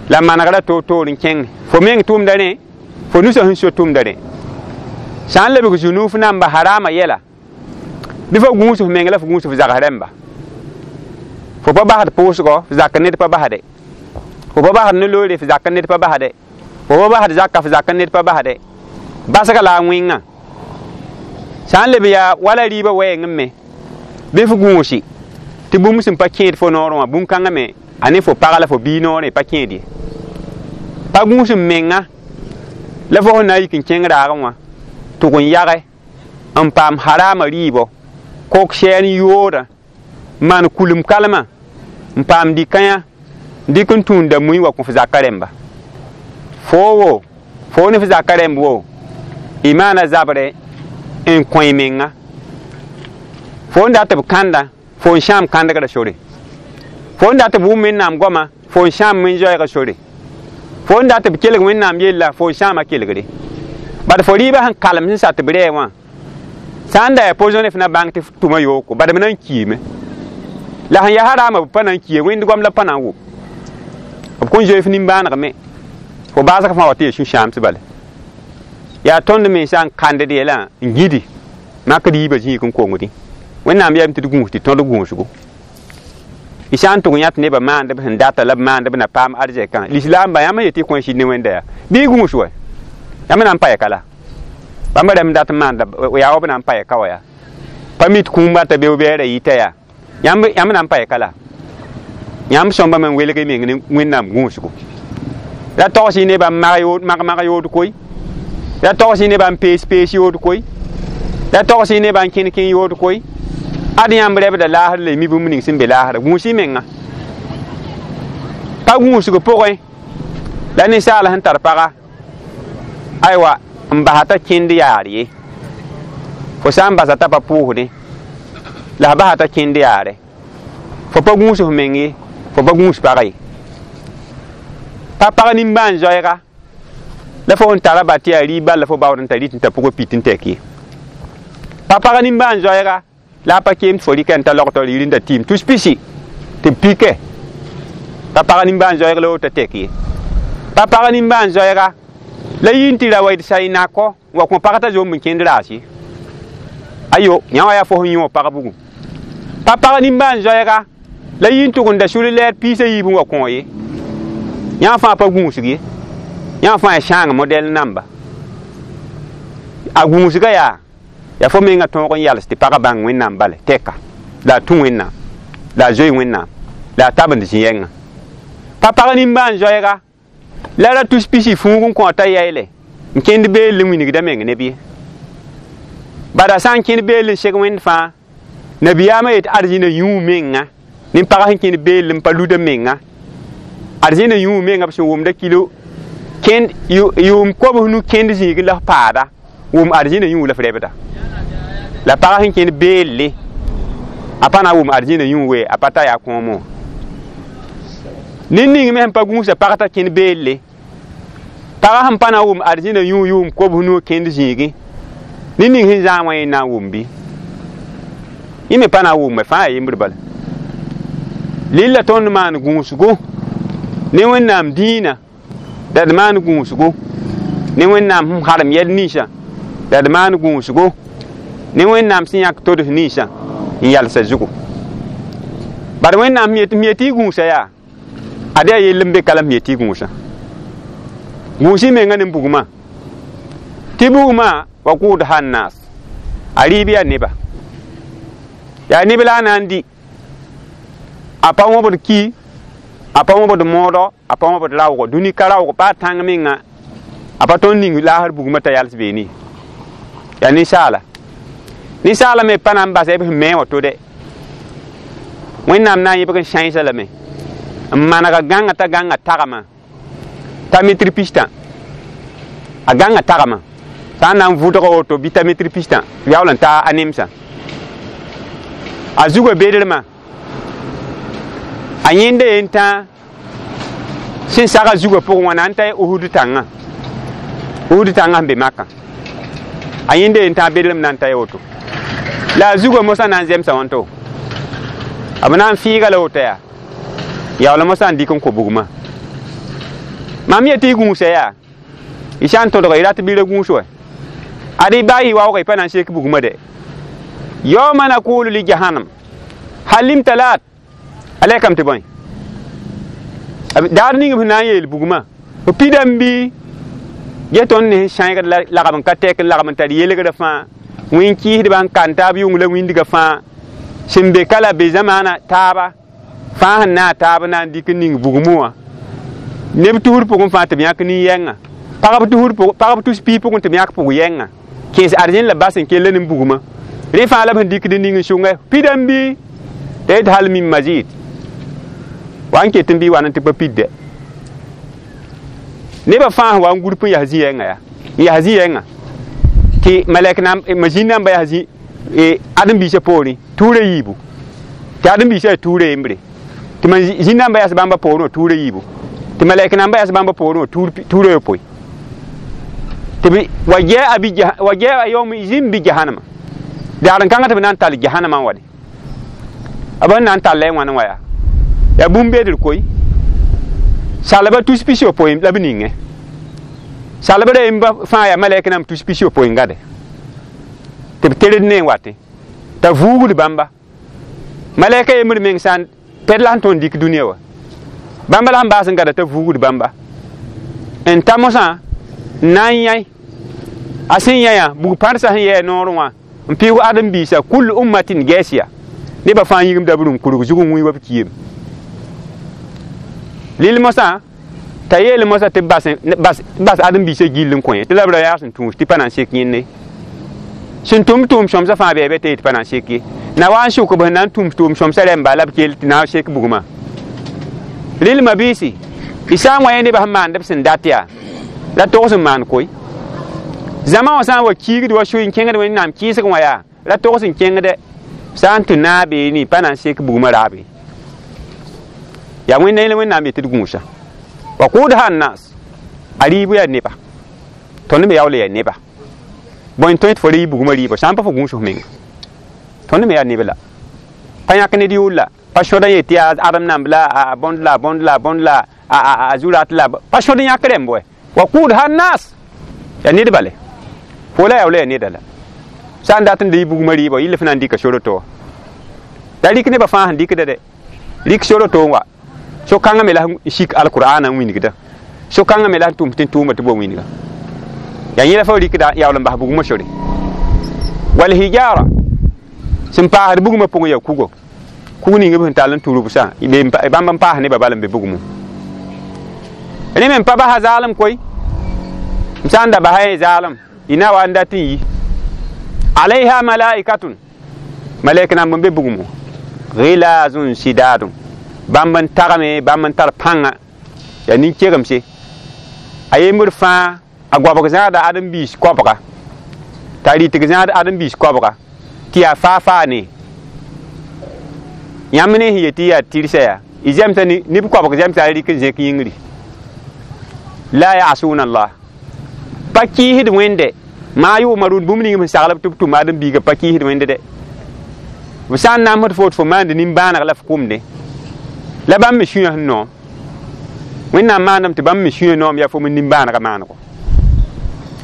la manegrã toor-toor n kẽng fo meng tʋʋmda rẽ fo nusã sẽn so tʋʋmda rẽ sã n lebg zu-nuuf namba harama yɛla bɩ fo gũus f meng la f gũus f zags rẽmba fo pa basd pʋʋsgɔ f zakd ned pa basde fo pa basd no-loeere f zakd ned pa basde fo pa basd zaka f zakd ned pa basde basga la a wẽngã sã n leb yaa wala rɩɩbã wɛɛngẽ me bɩ f gũusi tɩ bũmb sẽn pa kẽed fo noorẽ wã bũn-kãngã me a ne fo pag la fo biig noorẽ pa kẽed ye pa gũus n menga la fo sẽn na n yik n kẽng raagẽ wã tʋg n yage n paam harama rɩɩbɔ kok sɛɛr n yoodã maan kulem kalmã n paam dɩ-kãyã dɩk n tũunda mui wa kõ f zaka rẽmba foo wo foo ne f zaka rẽmb wo y maana zabrɛ n kõ y menga fo n dat b kãnda fo n sãam kãndgrã sore fo n dat b wʋm wẽnnaam goama fo n sãam wẽn-zoɛɛgã sore fo n dat b kelg wẽnnaam yella fo n sãama kelgre bad fo rɩɩbã sẽn kalem sẽn sat b rɛɛ wã sã n da yaa poisonné f na bãng tɩ f tʋma yooko bad b na n kiime la sẽn yaa haraama b pa na n kie wẽnd goam la pa na n wʋm b kõn zoe f nimbãanegme fo baasg fãa wa tɩ yaa sũ-sãams bala yaa tõnd mensã n kãndd yɛlã n gĩdi makd yiibã zĩig n kongdẽ wẽnnaam yaame tɩ d gũus tɩ tõd gũusgo y sã n tʋg yã tɩ nebã maand b sẽn data la b maand b na paam arzɛkã lislaambã yãmb n yetɩ y kõ sɩd ne wẽnda yaa bɩ y gũus wa yãmb na n pa ka la bãmb rãmb dat n maanda yaa wa b na n pa ka wa yaa pa mit kũumba t'a beo-bɛɛrã yita yaa yãmb na n pa ka la yãmb sõmba me n welg y meng ne wẽnnaam gũusgo la togs y nebã n mag-mag yood koe la togs y nebã n pees-pees yood koe la togs y nebã n kẽn-kẽ yood koe ad yãmb rɛbda laasr la y mi bũmb ning sẽn be laasra gũus y menga pa gũusg pʋgẽ la ninsaal sẽn tar paga aywa n basa t'a kẽnd yaar ye fo sã n basa t'a pa pʋʋsdẽ la f basa t'a kẽnd yaare fo pa gũus f meng ye fo pa gũus pag ye pa pag nimbãan-zoɛɛga la fo sẽn tara ba tɩ yaa rɩɩb bal la fo baood n tar rɩt n ta pʋgã pit n tɛk ye pa pag nimbãan-zoɛɛga la a pa keem tɩ fo rɩka n ta logtɔ yir n da tɩɩm tus pisi tɩ b pike pa pag nimbãan-zoɛɛg la woto tɛk ye pa pag nimbãan-zoɛɛga la yɩ n tɩ ra wa d sa y nakɔ n wa kõ pag t'a zomb n kẽnd raas ye ayo yã wã yaa fo sẽn yõ pag bugum pa pag nimbãan-zoɛɛga la yɩ n tʋg n da sʋl lɛɛr piisã yiib n wa kõ ye yã fãa pa gũusg ye yã fãa ya sãang modɛl namba a gũusga yaa yaa fo mengã tõog n yals tɩ pagã bãng wẽnnaam bale tɛka la a tũ wẽnnaam la a zoe wẽnnaam la a tabend zĩ-yɛngã pa pag nimbãan-zoɛɛga la ra tus pisi fuug n kõ t'a yayle n kẽnd beel n wilgda meng neb ye bada sã n kẽnd beel n seg wẽnd fãa nabiyaamã yet arzĩna yũu menga nin-pag sẽn kẽnd beel n pa luda menga arzĩna yũu menga b sẽn wʋmda kilo kẽnd yʋʋm kobs nu kẽnd zĩig la f paada wʋm arzĩna yũu la f rɛbda la pag sẽn kẽnd beelle a pa na n wʋm arzĩna yũu we a pa ta yaa kõomo wã ned ning me sẽn pa gũusa pag t'a kẽnd beelle pagã sẽn pa na n wʋm arzĩna yũu yʋʋm kobs nu kẽnd zĩigẽ ned ning sẽn zãag wã yẽ na n wʋm bɩ yẽ me pa na n wʋmme fãa yaa yembr bala lilla tõnd maan gũusgo ne wẽnnaam dĩinã la d maan gũusgo ne wẽnnaam sẽn harem yɛl ninsã la d maan gũusgo ne wẽnnaam sẽn yãk tods ninsã n yalsa zugu bad wẽnnaam m yetɩ y gũusa yaa ad yaa yell n be ka la m yetɩ y gũusã gũus y menga ne bugmã tɩ bugmã wa kʋʋd naas a rɩɩb yaa neba yaa neb la a na n dɩ a pa wõbd ki a pa wõbd moodɔ a pa wõbd raoogɔ dũni ka raoog baa tãng menga a pa tõnd ning laasr bugmã t'a yals beene yaa ninsaala ninsaala me pa na n basa b sẽn me wã to dɛ wẽnnaam na n yẽbg n sãensa lame n manega gãnga t'a gãnga tagmã t'a mitr pistã a gãnga tagmã sã n na n vʋdga woto bɩ t'a mitr pistã yaool n ta a nemsã a zugã bedrmã a yẽnda yen tã sẽn saga zugã pʋgẽ wã na n ta Uhud tãngã Uhud tãngã sẽn be Makã a yẽnda yen tã bedrem na n ta woto la a zugã mosã na n zemsa wãnto b na n fɩɩga la woto yaa Yaool mosã n dɩk n kõ bugmã mam yetɩ y gũusa yaa y sã n tõdg y rat bɩ ra gũus wa ad y baa y waoog y pa na n sek bugmã de yawma naqulu li jahannam hal imtalat a lɛkame tɩ bõe daar ning b sẽn na n yeel bugmã b pidame bɩ ge tõnd ne sẽn sãegd lagm n ka tɛk n lagm n tar yelgrã fãa wẽn-kɩɩsdbã n kan taab yʋng la wĩndgã fãa sẽn be ka la be zamaana taaba fãa sẽn na a taab na n dɩk n ning bugmẽ wã neb tusr pʋgẽ fãa tɩ b yãk nin-yɛngã pagb tus piig pʋgẽ tɩ b yãk pʋg-yɛngã kẽes arzẽn la bas n kell ne bugmã rẽ fãa la b sẽn dɩkd n ning n sõngɛ pidame bɩ t'a yet hal min mazid wa n ket n bɩ wa n tɩ pa pidde nebã fãa sẽn wa n gurp n yas zĩ-yɛngã yaa n yas zĩ-yɛngã tɩ malɛk masĩn namba yaa zĩ ãdem-biisã poorẽ tuurã yiibu tɩ ãdem-biisã yaa tuurã yembre tɩ zĩ namba yas bãmba poorẽ wã tuurã yiibu tɩ malɛk namba yas bãmba poorẽ wã tuurã yopoe tɩ wa jaa yawma izin bi jahannama daar n kãngã tɩ b na n tall jahannamã n wa de b sẽn na n talla y wãn n wa yaa yaa bũmb beedr koe salba tus pis-yopoe la b ningẽ salba ra yemba fãa yaa malɛk nam tus pis-yopoe n gade tɩ b tered ne n watẽ t'a vuugd bãmba malɛka yembr meng sã n pɛd la sẽn tõnd dɩk dũniyã wã bãmba la sẽn baas n gada t'a vuugd bãmba n ta mosã n na n yãi a sẽn yãyã bug-pãrsã sẽn yɛɛ noorẽ wã n pɩʋg ãdem-biisã kul ummatin gɛɛsya nebã fãa yĩgimda b rũm kurg zug n wĩ wa b kiime lil mosã t'a yeel mosã tɩ bas ãdem-biisã gill n kõ ye tɩ la b ra yaa sẽn tũus tɩ pa na n sek yẽnde sẽn tʋm tʋʋm sõmsã fãa bɩ tɩ pa na n sek ye na wa n sʋk b sẽn na n tũm tʋʋm sõmsã rẽmba la b kell tɩ na n sek bugmã rɩlmã biisi y sã n wa yẽ nebã sẽn maand b sẽn dat yaa la togs n maan koe zãma wã sã n wa kiigd wa soe n kẽngd wẽnnaam kɩɩsg wã yaa la togs n kẽngdɛ sã n tɩ naabeene pa na n sek bugmã raabe yaa wẽnda yẽl wẽnnaam yetɩ d gũusa wa quudha annas a rɩɩb yaa neba tõnd me yaool yaa neba bõe tõe tɩ fo rɩ bugmã rɩɩbã sã n pa fo gũus f menga tõnd me yaa neb la pa yãk ned yʋʋr la pa sõd n yet tɩ yaa ãdem namb la a bõnd la bõnd la bõnd la a zurat la pa sõd n yãk rẽmb wɛ wa quudha annas yaa ned bale fo la yaool yaa neda la sã n dat n dɩ bugmã rɩɩbã yɩl f na n dɩka soro-to la rɩk nebã fãa sẽn dɩkda dɛ rɩk soro-to n wa so-kãngã me la n sik alqur'ana n wingda so-kãngã me la n tʋm tɩ n tʋʋma tɩ bo wĩnga yaa yẽ la fo rɩkda yaool n bas bugmã sore wal hijara sẽn paasd bugmã pʋgẽ yaa kugo kug ning b sẽn tall n turb sã bãmb n paas nebã bal n be bugmẽ rẽ me n pa basa zaalem koe m sã n da basa yẽ zaalem y na wa n dat n yi alayha malaikatun malɛk namb n be bugmẽ gilazun sidadun bãmb n tagme bãmb n tar pãnga yaa nin-kegemse a yembr fãa a goabg zãada ãdem-biis koabga t'a rɩtg zãad ãdem-biis koabga tɩ yaa faa-faa ne yãmb ne sẽn yet tɩ yaa tɩrsa yaa y zɛmsa neb koabg zɛmsa a rɩk n zẽk yĩngri la yasuna allah pa kɩɩsd wẽnde maa yʋʋma rũnd bũmb ning sẽn sagl b tɩ b tʋm ãdem-biigã pa kɩɩsd wẽnde dɛ b sã n namsd fo tɩ fo maand nin-bãaneg la f kʋmde la bãmb me sũyã sẽn noom wẽnnaam maandame tɩ bãmb me sũyã noom yaa fo me nin-bãanegã maanego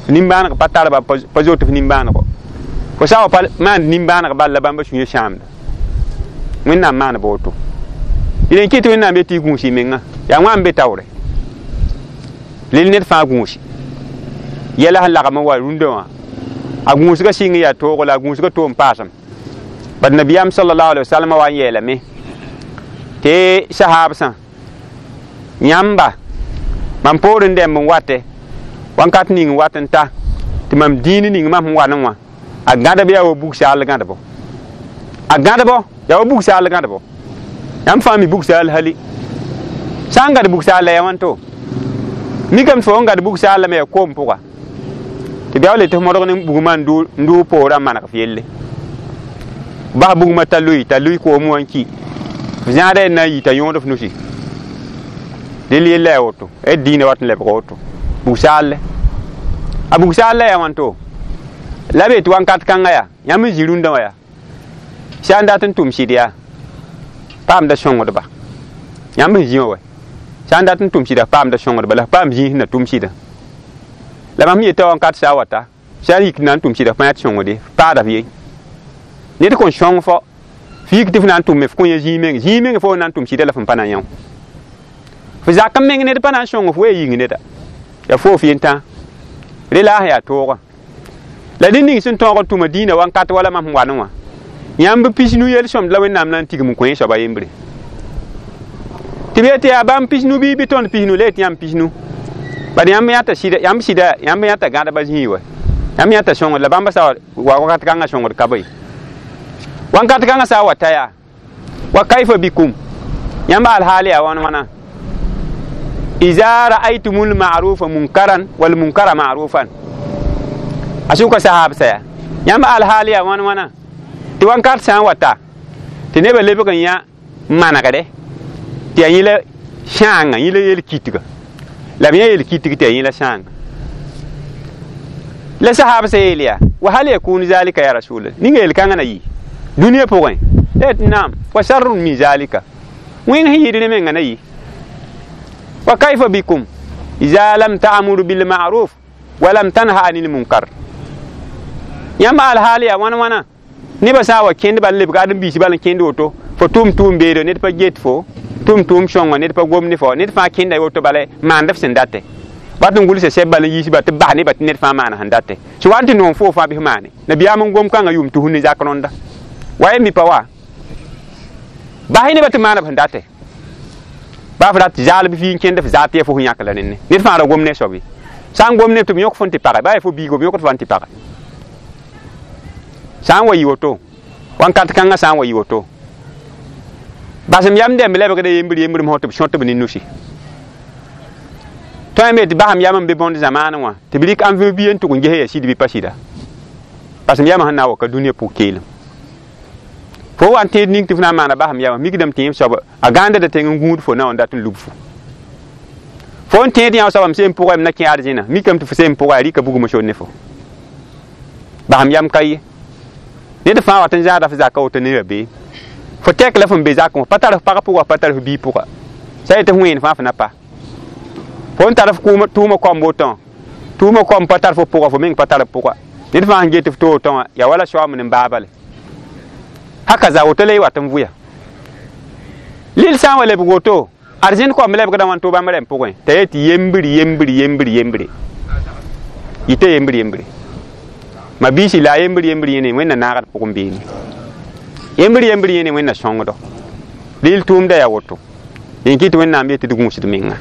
nin-bãaneg pa tarba pa zot f nin-bãanego fo sã n wa pa maand nin-bãaneg bal la bãmba sũyã sãamda wẽnnaam maan ba woto d n kɩt wẽnnaam yetɩ y gũus y menga yaa wã n be taoore lel ned fãa gũusi yɛla sẽn lagm n wa rũndã wã a gũusgã sɩng yaa toogo la a gũusgã toom paasem bad nabiyaam sallallahu alaihi wasallam wa n yeelame tɩ sahaabsã yãmba mam poor n dɛmb n watɛ wãnkat ning n wat n ta tɩ mam dĩin ning mam sẽn wa ne wã a gãdb yaa wa bug-saal gãdbo a gãdbo yaa wa bug-saal gãdbo yãmb fãa mi bug-saal hali sã n gãd bug-saal la yaa wãnto mikame tɩ fo n gãd bug-saal lame yaa koom pʋga tɩ b yaool tɩ f modg ne bugmã n dʋʋ poorã n maneg f yelle bas bugmã t'a lui koom wã n ki f zãada na n yi t'a yõod f nusi del yella yaa woto d dĩinã wat n lebg woto bug-saalle a bug-saal la yaa wãnto la be tɩ wãnkat kãngã yaa yãmb n zĩ rũndã wã yaa sã n dat n tʋm sɩd yaa paamda sõngdba Yãmb sẽn zĩ wã wa sã n dat n tʋm sɩda paamda sõngdba la f paam zĩig sẽn na tʋm sɩdã la mam yeta wãnkat sã wata sã n yik na n tʋm sɩda f pa yã tɩ sõngde f paada f ye ned kõn sõng fo f yik tɩ f na n tʋme f kõ yã zĩig meng zĩig meng fo na n tʋm sɩda la f n pa na yã f zak n meng ned pa na n sõng f wee yĩng neda ya fo f yentã re la a sẽn yaa toogã la ned ning sẽn tõog n tʋma dĩinã wãnkat wala mam sẽn wa ne wã yãmb pisnu yel-sõmd la Wẽnnaam na n tigm n kõ yẽ soaba yembre tɩ b yetɩ yaa bãmb pisnu bɩ bɩ tõnd pisnu la yetɩ yãmb pisnu bad yãmb yãta sɩda yãmb sɩda yãmb yãta gãdba zĩig wa yãmb yãta sõngd la bãmb sa wa wakat kãngã sõngd ka bõe wãnkat kãngã sã n wa ta yaa wa kaifa bikum yãmb alhaal yaa wãn wãna iza ra'aytumul ma'rufa munkaran wal munkara ma'rufan a sʋka sahab saya yãmb alhaal yaa wãn wãna tɩ wãnkat sã n wa ta tɩ nebã lebg n yã manegre tɩ yaa yẽla sãanga yẽla yel-kitga la b yã yel-kitg tɩ yaa yẽla sãanga la sahab sa yeel yaa wa hal yakunu zalika ya rasul ninga yel-kãngã na yɩ dũniyã pʋgẽ la tɩ naam wa sharrun min zalika wẽng sẽn yɩɩd ne mengã na yɩ wa kaifa bikum iza lam ta'muru bil ma'ruf wa lam tanha anil munkar yãmb alhaal yaa wãn wãna nebã sã n wa kẽnd bal lebg ãdem-biis bal n kẽnd woto fo tʋʋm tʋʋm beede ned pa get fo tʋʋm tʋʋm sõngo ned pa gom ne fo ned fãa kẽnda woto bala maand f sẽn date wat n gʋlsa sɛb bal n yiis ba tɩ bas nebã tɩ ned fãa maana sẽn date sẽn wa n tɩ noom foo fãa bɩ f maane nabiyaam n gom kãngã yʋʋm tus ne zak rõnda wa ye mi pa wa bas nebã tɩ maana b sẽn date baa f rat zaal bɩ fii n kẽnd f zaat tɩ ya fo sẽn yãk la nenne ned fãa ra gom ne soab ye sã n gom neb tɩ b yõk fõn tɩ pagɛ baa ya fo biigo b yõkd fãa n tɩ pagɛ sã n wa yɩ woto wãnkat kãngã sã n wa yɩ woto basem yam dɛmb lebgda yembr yembr mosã tɩ b sõt b ne nusi tõe me tɩ basem yam n be bõnd zamaanẽ wã tɩ b rɩk ãn bia n tʋg n ges ya sɩd bɩ pa sɩda basem yamã sẽn na n wa ka dũniyã pʋg keelem fo wa n tẽed ning tɩ f na n maana basem yamã mikdame tɩ yẽ soab a gãandda tẽng n gũud fo na n dat n lub fo fo n tẽed yã soabame seen pʋgã m na kẽ arzẽna mikame tɩ fo seen pʋga a rɩka bugmã sor ne fo basem yam ka ye ned fãa wat n zãada f zaka woto ne rabeem fo tɛk la fõn be zakẽ wã pa tar f pag pʋga pa tar f biig pʋga sã yetɩ f wẽen fãa f na pa fo n tar f tʋʋmã koam wotõ tʋʋmã koam pa tar fo pʋga fo meng pa tar f pʋga ned fãa sẽn get f to wotõ wã yaa wala soaam ne baabale haka za woto la y wat n vʋya lil sã n wa lebg woto arzẽnd koam lebgdã wãn to bãmb rɛm pʋgẽ t'a yetɩ yembr yembr yembr yembre yɩta yembr yembre ma biisi la a yembr yembr yẽne wẽnna naagd pʋgẽ beene yembr yembr yẽne wẽnna sõngdo lil tʋʋmda yaa woto dẽn kɩ tɩ wẽnnaam yetɩ d gũusd menga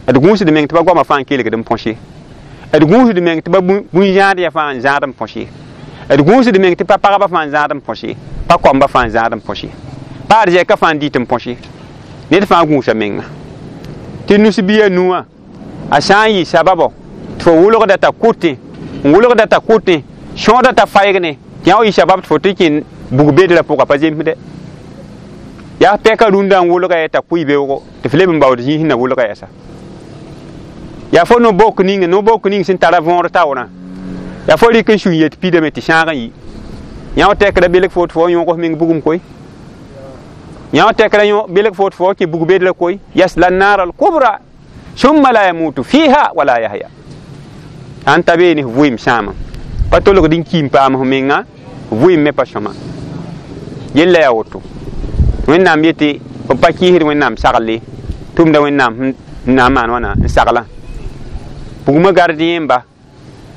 d gũusd meng tɩ ba goamã fãa n kelgd n põse d gũusd meng tɩ ba bũn-zãad ya fãa n zãad n põse d gũusd meng tɩ pa pagba fãa n zãad n põse pa koamba fãa n zãad n põse pa arzɛka fãa n dɩt n põse ned fãa gũusa menga tɩ nus-bia nuwã a sã n yɩ sababo tɩ fo wʋlgda t'a kʋtẽ n wʋlgda t'a kʋtẽ sõoda t'a faɩgne tɩ yã wa yɩ sabab tɩ fo tɩ kẽ bug bedrã pʋga pa zemsdɛ yaa pɛka rũndã n wʋlga ya t'a kʋɩ beoogo tɩ f leb n baood zĩig sẽn na wʋlga yɛsa yaa fo no-bok ning no-bok ning sẽn tara võor taoorã yaa fo rɩk n sũ n yet pidame tɩ sãag n yi yã wa tɛkra belg fo tɩ fo yõg f meng bugum koe yã wa tɛkra belg fo tɩ fo kẽ bug bedrã koe yasla naara l-kubra summa la yamutu fiha wala yahya sãn ta beene f vʋɩɩm sãama pa tolgd n kiim paam f menga vʋɩɩm me pa sõma yella yaa woto wẽnnaam yetɩ b pa kɩɩsd wẽnnaam sagle tʋmda wẽnnaam n na n maan wãna n saglã bugmã gardien ba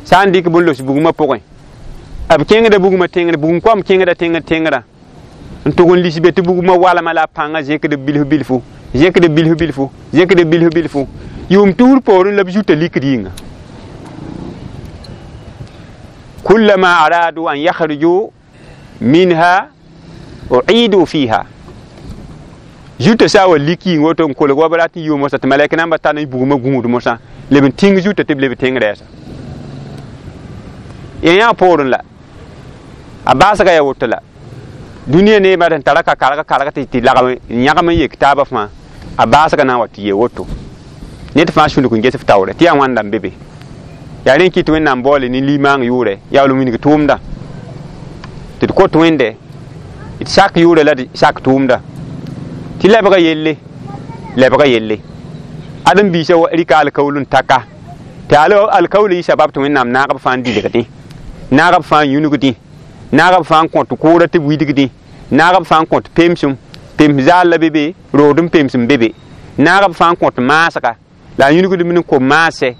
sã n dɩk bõn los bugmã pʋgẽ b kẽngda bugmã tẽngr bugum koam kẽngda tẽngr tẽngrã n tʋg n lis be tɩ bugmã walma la a pãngã zẽkd bilf bilfu zẽkd bilf bilfu zẽkd bilf bilfu yʋʋm tusr poorẽ la b zuta likd yĩnga kullama aradu an yakhruju minha uidu fiha zuta sã wa lik yĩng woto n kolg wa b rat n yʋʋm mosã tɩ malɛk namba tar n bugmã gũud mosã leb n tĩng zuta tɩ b leb tẽng rɛɛsa yã poorẽ la a baasga yaa woto la dũniyã neemã sẽn tara ka karg karg tɩ lagm n yãgem n yek taabã fãa a baasga na n wa tɩ yee woto ned fãa sũlg n ges f taoore tɩ yaa wãnda n be be yaa rẽ kɩ tɩ wẽnnaam baoole ne limaang yʋʋrɛ yaa wall wilg tʋʋmda tɩ d kot wẽnde d sak yʋʋrɛ la d sak tʋʋmda tɩ lebga yelle Lebga yelle ãdem biisã rɩka alkaool n taka tɩ alkaool yɩ sabab tɩ Wẽnnaam naag b fãa n dilgdẽ, naag b fãa n yũnugdẽ, naag b fãa n kõt kʋʋra tɩ b widgdẽ, naag b fãa n kõt pemsem, pems zaal la be be, rood n pemsem be be, naag b fãa n kõt maasga la a yũnugdb n kom maasɛ.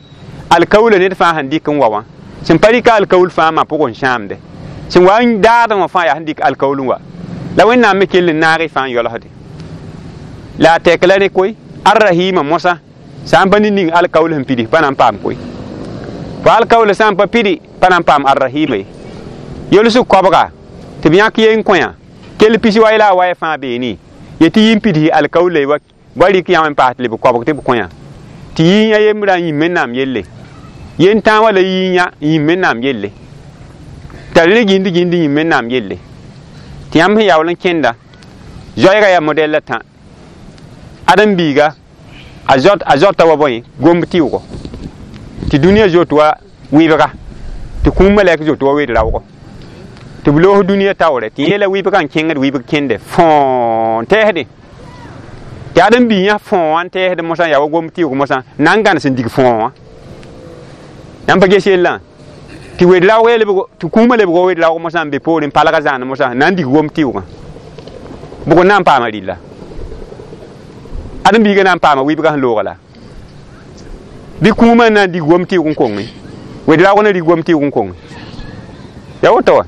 Alkaoolã ned fãa sẽn dɩk n wa wã sẽn pa rɩka alkaool fãa ma pʋgẽ n sãamde, sẽn wa n daadẽ wã fãa yaa sẽn dɩk alkaool n wa la Wẽnnaam me kell n naag y fãa n yolsde. La a tɛk la rẽ koe Arrahima mosã sã n pa ning alkaool sẽn pidi pa na n paam koe, fo alkaool sã n pa pidi pa na n paam Arrahima ye. Yolsg koabga tɩ b yãk yen kõ yã kell pis wa la a waya fãa beene ye tɩ yĩn pids alkaool wa wa rɩk yã n paas tɩ leb koabg tɩ b kõ yã tɩ yĩn a yembrã n yĩm Wẽnnaam yelle, yen tãa wala yĩn yã n yĩm Wẽnnaam yelle, t'a rẽ gĩnd gĩnd yĩm Wẽnnaam yelle. Tɩ yãmb sẽn yaool n kẽnda zoɛɛga yaa modɛl la tã ãdem biiga a zɔta wa bõe gomb tɩʋgo tɩ dũniyã zoet wa wɩbga tɩ kũum malɛk zoet wa wed raoogo tɩ b loos dũniyã taoore tɩ yeela wɩbgã n kẽngd wɩbg kẽnde fõo n tɛɛsdẽ tɩ ãdem bii yã fõo wã n tɛɛsd mosã yaa wa gomb tɩʋg mosã na n gãnes n dig fõo wã. Yãmb pa ges yellã tɩ wed raoog tɩ kũumã lebg wa wed raoog mosã n be poorẽ palga zãan mosã na n dig gomb tɩʋgã bʋg n na n paama rɩlla ãdem biigã na n paama wɩbgã sẽn looga la bɩ kũumã n na n dig gom tɩʋg n konge wed raoog na rig gom tɩʋg n konge yaa woto wa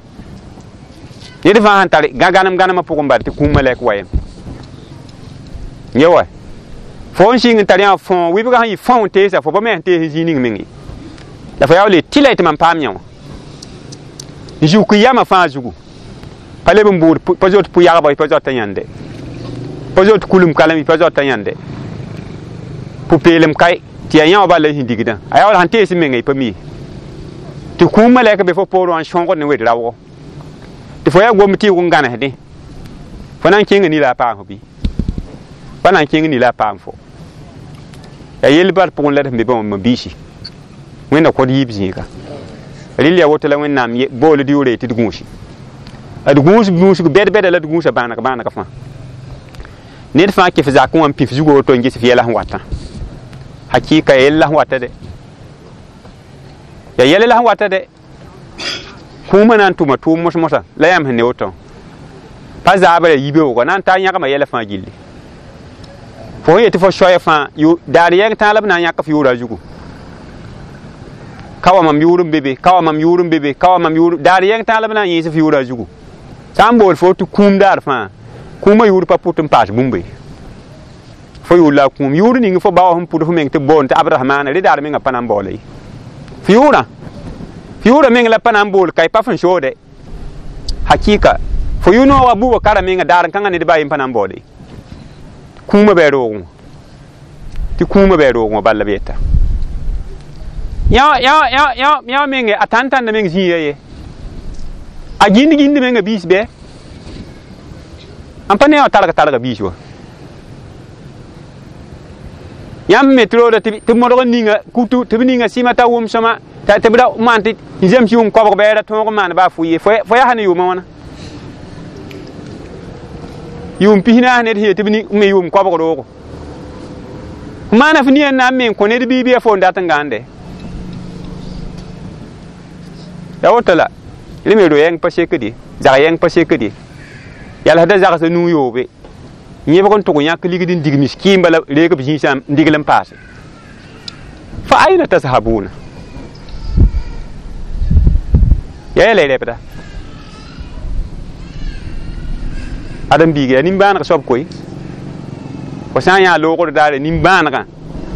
ned fãa sẽn tar gãnem gãnemã pʋgẽ bala tɩ kũumã lɛk wa yem ye wa fo n sɩng n tar yã fõ wɩbgã sẽn yɩ fõ n teesa fo pa me sẽn tees zĩig ning meng ye la fo yaa le tɩ la y tɩ mam paam yã wã n zuk yamã fãa zugu pa leb n bʋʋd pa zoet pʋ-yagba pa zoata yãnde, pa zoet kulum kalem pa zoata yãnde, pʋ-peelem kae tɩ yaa yã wã bala sẽn digdã a yaa wala sẽn tees mengã y pa mi ye tɩ kũum malɛk be fo poorẽ wã n sõgd ne wed raoogo tɩ fo yaa gomb tɩʋg n gãnesdẽ fo na n kẽnga ni la a paam fo bɩ pa na n kẽng ni la a paam fo yaa yell bal pʋgẽ la d sẽn be bãmb ma biisi Wẽnna kõt yiib zĩiga rɩl yaa woto la Wẽnnaam bool d yʋʋre tɩ d gũusi d gũus gũusg bɛd-bɛda la d gũusa bãaneg bãaneg fãa ned fãa kɩf zakẽ wã n pif zugu woto n ges f yɛla sẽn watã hakɩɩka ya yɛl la sẽn wata dɛ ya yɛl la sẽn wata dɛ kũumã na n tʋma tʋʋm mos-mosã la yãmb sẽn ne woto pa zaabra yibeoogã na n taa yãgma yɛla fãa gilli fo sẽn yetɩ fo soaya fãa daar yɛng tãa la b na n yãk f yʋʋra zugu ka wa mam yʋʋr n be be ka wa mam yʋʋr n be be ka wa mam yʋʋr daar yɛng tãa la b na n yẽes f yʋʋra zugu sã n bool fo tɩ kũum daar fãa kũumã yʋʋr pa pʋt n paas bũmb ye fo yʋʋr la a kũum yʋʋr ning fo ba wã sẽn pʋd f meng tɩ b boond tɩ Abrahamaana rẽ daar mengã pa na n baoola ye f yʋʋrã meng la pa na n bool ka y pa fẽn soode hakɩɩka fo yʋ-noogã buubã kara menga daar n kãngã ned baa yen pa na n baoode kũumã bɩ a roogẽ wã tɩ kũumã bɩ a roogẽ wã bal la b yeta yã menge a tãn-tãnda meng zĩiga ye a gĩnd gĩnd menga biis bɩ n pa ne wã targ targa biis wa yãmb me tɩ rooda tɩ modg n ninga kutu tɩ b ninga sɩma t'a wʋm sõma tɩ b ra maan tɩ n zems yʋʋm koabg bɩ ra tõog n maan baa fʋ ye fo yaa ne yʋʋmã wãna yʋʋm pis naas ned sẽn yet tɩ b me yʋʋm koabg roogo f maana f nia n na n me n kõ ned bii bɩ ya fo n dat n gãande ya woto la rẽ me ro-yɛng pa sekd ye zag yɛng pa sekd ye yalsda zagsã nuu yoobe yẽbg n tʋg yãk ligd n dig miskɩɩmba la reeg b zĩisã n digl n paase fa aina tashabuna ya yɛla y rɛbda ãdem biiga yaa nimbãaneg soab koe fo sã n yã loogr daare nimbãanegã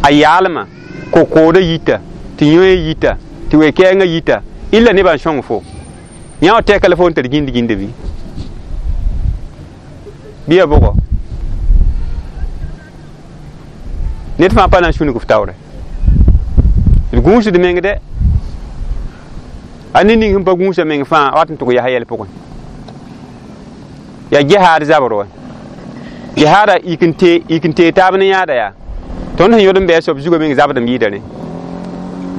a yaalmã ko-koodã yita tɩ yõe yita tɩ we-kɛɛngã yita illa nebã n sõng fo yã wã tɛka la fo n tar gĩnd gĩnda bɩ bɩ ya bʋgɔ ned fãa pa na n sũnug f taoore d gũusd meng dɛ a ned ning sẽn pa gũusa meng fãa wat n tʋg yaa yɛl pʋgẽ yaa jihaad zabr wa jihaada yik n tee taab ne yãada yaa tõnd sẽn yõd n bɩ a soab zugã meng zabd n yɩɩda rẽ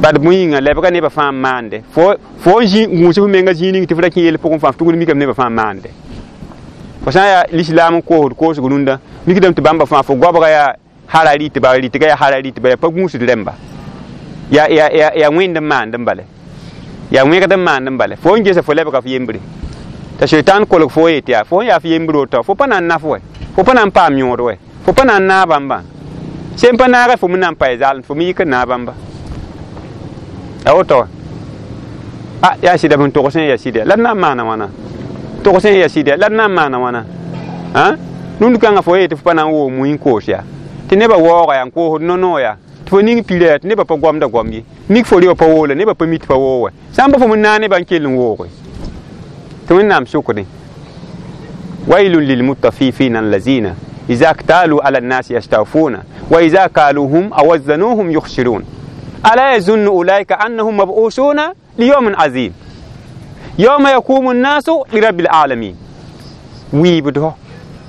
bad bõe yĩnga lebga nebã fãa n maande fo n gũus f menga zĩig ning tɩ f ra kẽ yell pʋgẽ fãa f tugd mikame nebã fãa n maande fo sã n yaa lislaam n koosd koosg rũndã mikdame tɩ bãmba fãa fo goabga yaa hara rɩtba rɩtga yaa hara rɩtba yaa pa gũusd rẽmba yaa wẽnd n maand n bale yaa wẽgd n maand n bale fo n gesa fo lebga f yembre t'a shaitan kolg fo yet yaa fo n yaa f yembre woto fo pa na n naf wɛ fo pa na n paam yõod wɛ fo pa na n naag bãmbã sẽn pa naagã fo me na n pa zaalem fo me yik n naag bãmba a woto a yaa sɩda b sẽn togs yaa sɩda la d na n maana wãna togs yaa sɩda la d na n maana wãna rũnd kãngã fo yetɩ fo pa na n woog mui n koos yaa tɩ nebã waooga yaa n koosd no-noog yaa tɩ fo ning pira yaa tɩ nebã pa goamda goam ye mik fo rɩ pa woola nebã pa mi tɩ pa woog wɛ sã n pa fo me naag nebã n kell n wooge tɩ Wẽnnaam sʋkdẽ wailun lilmutafifina allazina iza ktalu ala nnasi yastawfuna wa iza kaluhum aw wazanuhum yukhsirun ala yazunnu ulaika annahum mab'usuna liyawmin azim yawma yaqumu nnasu lirabbil alamin wiibdɔ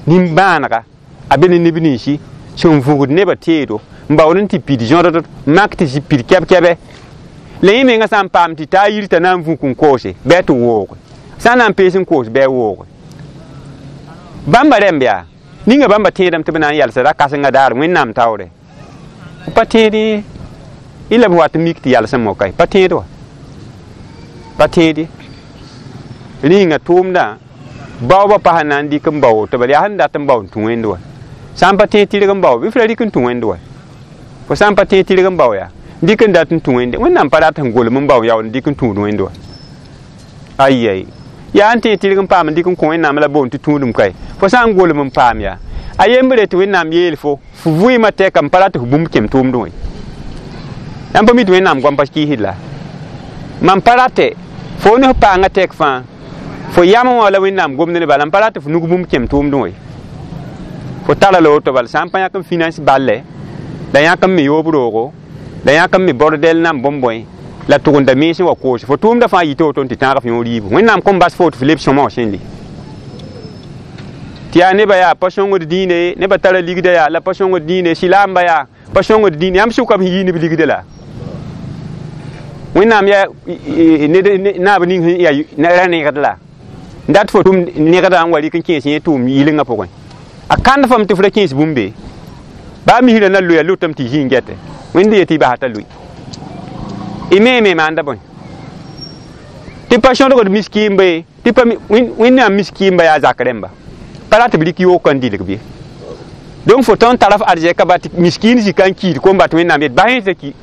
nimbãanega a be ne neb ninsi sẽn vugd nebã teedo n baood n tɩ pid zõdd mak tɩ zĩ pid kɛb-kɛbɛ la yẽ mengã sã n paam tɩ taa yir t'a na n vũk n koose bɩ a tɩ wooge sã n na n pees n koos bɩ a wooge bãmba rẽmb yaa ninga bãmba tẽedame tɩ b na n yalsa ra-kãsengã daar Wẽnnaam taoore pa tẽed y la b wat n mik tɩ yalsẽ moka ye pa tẽed wa pa tẽed ye rĩnga tʋʋmdã baoobã pa sẽn na n dɩk n bao woto bala yaa sẽn dat n bao n tũ wẽnd wa sã n pa tẽeg tɩrg n bao bɩ f ra rɩk n tũ wẽnd wa fo sã n pa tẽeg tɩrg n bao yaa dɩk n dat n tũ wẽnde Wẽnnaam pa rat sẽn golem n bao yaool n dɩk n tũud wẽnd wa ayi yaa n tẽeg tɩrg n paam n dɩk n kõ Wẽnnaam la boond tɩ tũudum kae fo sã n golem n paam yaa a yembre tɩ Wẽnnaam yeel fo fo vɩɩmã tɛka n pa rat f bũmb kẽm tʋʋmdẽ wã yãmb pa mi tɩ Wẽnnaam goam pa kɩɩsd la mam pa ratɛ fo ne f paangã tɛk fãa fo yam wã la Wẽnnaam gomd ne bala n pa rat f nug bũmb kẽm tʋʋmdẽ wã fo tara la woto bala sã n pa yãk n finance balle la yãk n me yoob roogo la yãk n me bordel nan bõn-bõe la tʋgenda mens n wa koose fo tʋʋmdã fãa yita woto n tɩ tãag f yõ riibu Wẽnnaam kõn bas fo tɩ f leb sõma wã sẽn li tɩ yaa nebã yaa pa sõngd dĩine nebã tara ligda yaa la pa sõngd dĩine sɩlaamba yaa pa sõngd dĩine yãmb sʋka b sẽn yii neb ligda la Wẽnnaam yaa ned naab ning sẽn yaa ra negd la n dat fo tʋm negdã n wa rɩk n kẽes yẽ tʋʋm yɩlengã pʋgẽ a kãnd fam tɩ f ra kẽes bũmbe baa misrã na loya lotame tɩ zĩ n gɛte Wẽnd yetɩ y basa t'a loe y me me maanda bõe tɩ pa sõdgd miskiimba ye tɩ pa Wẽnnaam miskiimba yaa zak rẽmba pa rat b rɩk yoog n dɩlg bɩ donc fo tõnd tara f arzɛka ba tɩ miskiin zika n kiid kom bat Wẽnnaam yet bas yẽ t'a ki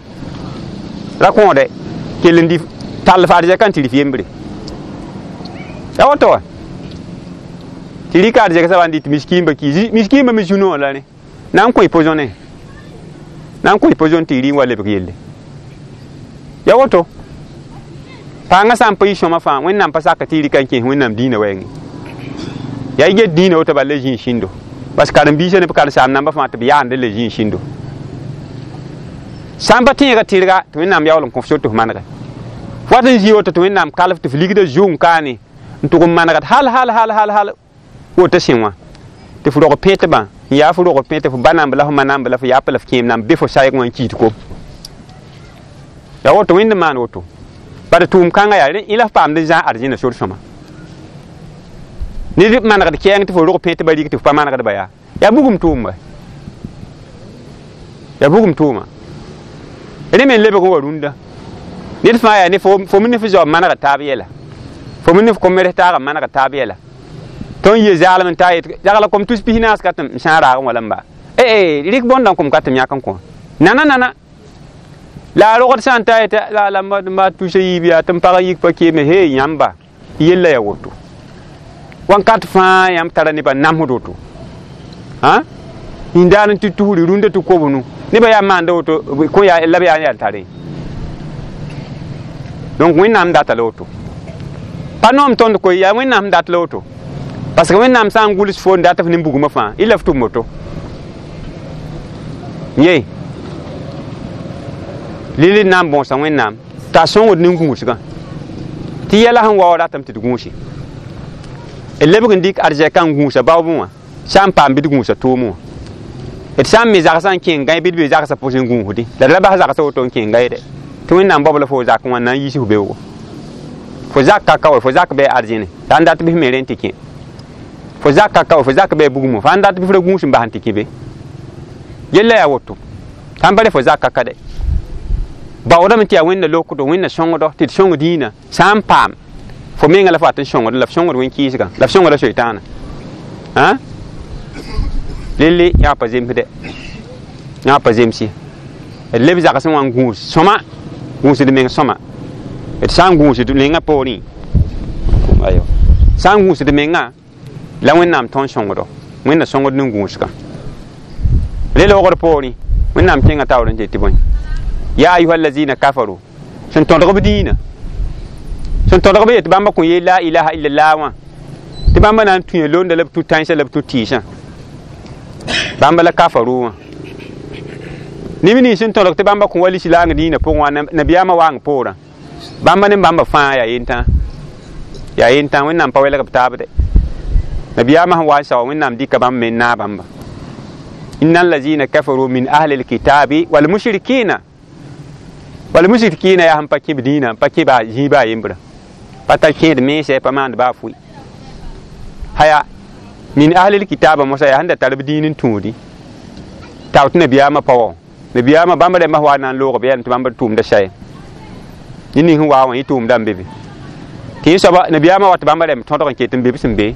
ra kõode kell n dɩ tall f arzɛka n tɩ rɩf yembre ya woto wa tɩ rɩka arzɛk soaba n dɩ tɩ miskiimba ki miskiimba me zũ-noog la rẽ na n kõ pozõne na n kõ pozõn tɩ y rɩ n wa lebg yelle ya woto paangã sã n pa yɩ sõma fãa Wẽnnaam pa sak tɩ y rɩka n kẽes Wẽnnaam dĩinã wɛɛngẽ yaa y get dĩinã woto bala la zĩig sĩndo parce que karen-biisã ne b karen-saam namba fãa tɩ b yaande la zĩig sĩndo sã n pa tẽegã tɩrga tɩ Wẽnnaam yaool n kõ f sor tɩ f manege wat n zĩ woto tɩ Wẽnnaam kalf tɩ f ligda zʋng kaane n tʋg n manegd hal hal hal hal hal woto sẽ wã tɩ f rog pẽtbã n yaa f rog pẽte f ba namb la f ma namb la f yaap la f kẽem namb be fo sayg wã n kiid kom ya woto Wẽnd n maan woto bad tʋʋm kãngã yaa rẽ la f paamd n zãag arzẽna sor sõma ned manegd kɛɛng tɩ fo rog pẽtbã rig tɩ f pa manegdba yaa yaa bugum tʋʋm yaa bugum tʋʋma rẽ me n lebg n wa rũndã ned fãa yaa ne fo me ne f zaob manegd taab yɛla fo me ne f kom-res taag n manegd taab yɛla tõnd ye zaalem n taa yet yagla kom tus pis naas ka tɩ m sã n raagẽ wala n ba rɩk bõndã n kom ka tɩ m yãk n kõ nana nana la a rogd sã n ta yetɩ la ma tusa yiib yaa tɩ m pag yik pa keeme he yãmba yella yaa woto wãnkat fãa yãmb tara nebã namsd woto yĩndaar n tɩ tusri rũndã tɩ kobnu nebã yaa maanda woto kõ yaa la b yaa n yaa tare donc Wẽnnaam data la woto pa noom tõnd koe yaa Wẽnnaam dat la woto parce que Wẽnnaam sã n gʋls fo n dat f nin-bugmã fãa y la f tʋm woto ye lili na n bõosa Wẽnnaam t'a sõngd nin-gũusgã tɩ yɛla sẽn wa wa ratame tɩ d gũusi d lebg n dɩk arzɛkã n gũusa baoobẽ wã sã n paam bɩ d gũusa tʋʋmẽ wã d sã n me zagsã n kẽng gãe bɩ d be zagsã pʋsẽ gũusdẽ la d ra bas zagsã woto n kẽng gãeede tɩ Wẽnnaam baob la fo zak wã na n yiis f beoogo fo zak ka ka wa fo zak bɩ arzẽne sã n dat bɩ f me rẽ tɩ kẽ fo zak ka ka wa fo zak bɩ bugmã fo sã n dat bɩ f ra gũus n bas n tɩ kẽ be Yella yaa woto sãn pa re fo zaka ka de baoodame tɩ yaa wẽnna lokdo wẽnna sõngdo tɩ d sõng dĩinã sã n paam fo menga la fo wat n sõngd la f sõngd wẽn-kɩɩsgã la f sõngda soitaanã lelle yã pa zemsde yã pa zems ye d leb zagsẽ wã n gũus sõma gũusd meng sõma d sã n gũusd mengã poorẽ ayo sã n gũusd mengã la wẽnnaam tõnd sõngdo wẽnna sõngd ne gũusgã le loogd poorẽ wẽnnaam kẽngã taoor n tɩ bõe ya ayuha allazina kafaru sẽn tõdg b dĩinã sẽn tõdg b yet bãmba kõ yeel la ilaha illallah wã tɩ bãmba na n tũya londa la b tũ tãensã la b tũ tɩɩsã bãmba la kafaru wã neb nins sẽn tõdg tɩ bãmba kõ wa lislaang dĩinã pʋgẽ wã nabiyaamã waang poorã bãmba ne bãmba fãa yaa yentã yaa yentã wẽnnaam pa welg b taab de nabiyaamã sẽn wa n sao wẽnnaam dɩka bãmb me n naag bãmba inna allazina kafaru min ahli lkitabi walmushrikina walmushrikina yaa sẽn pa kẽ b dĩinã n pa kẽ baa zĩig baa yembrã pa tar kẽed mensɛ pa maand baa fʋɩ haya min ahli lkitaba mosã yaa sẽn da tar b dĩin n tũudi tao tɩ nabiyaamã pa wa nabiyaamã bãmb rẽmbã wa na n loog b yɛlm tɩ bãmb tʋʋmda saye yẽ ning sẽn waa wã yẽ tʋʋmda n be be tɩ yẽ soaba nabiyaamã wa tɩ bãmba rẽmb tõdg n ket n be b sẽn be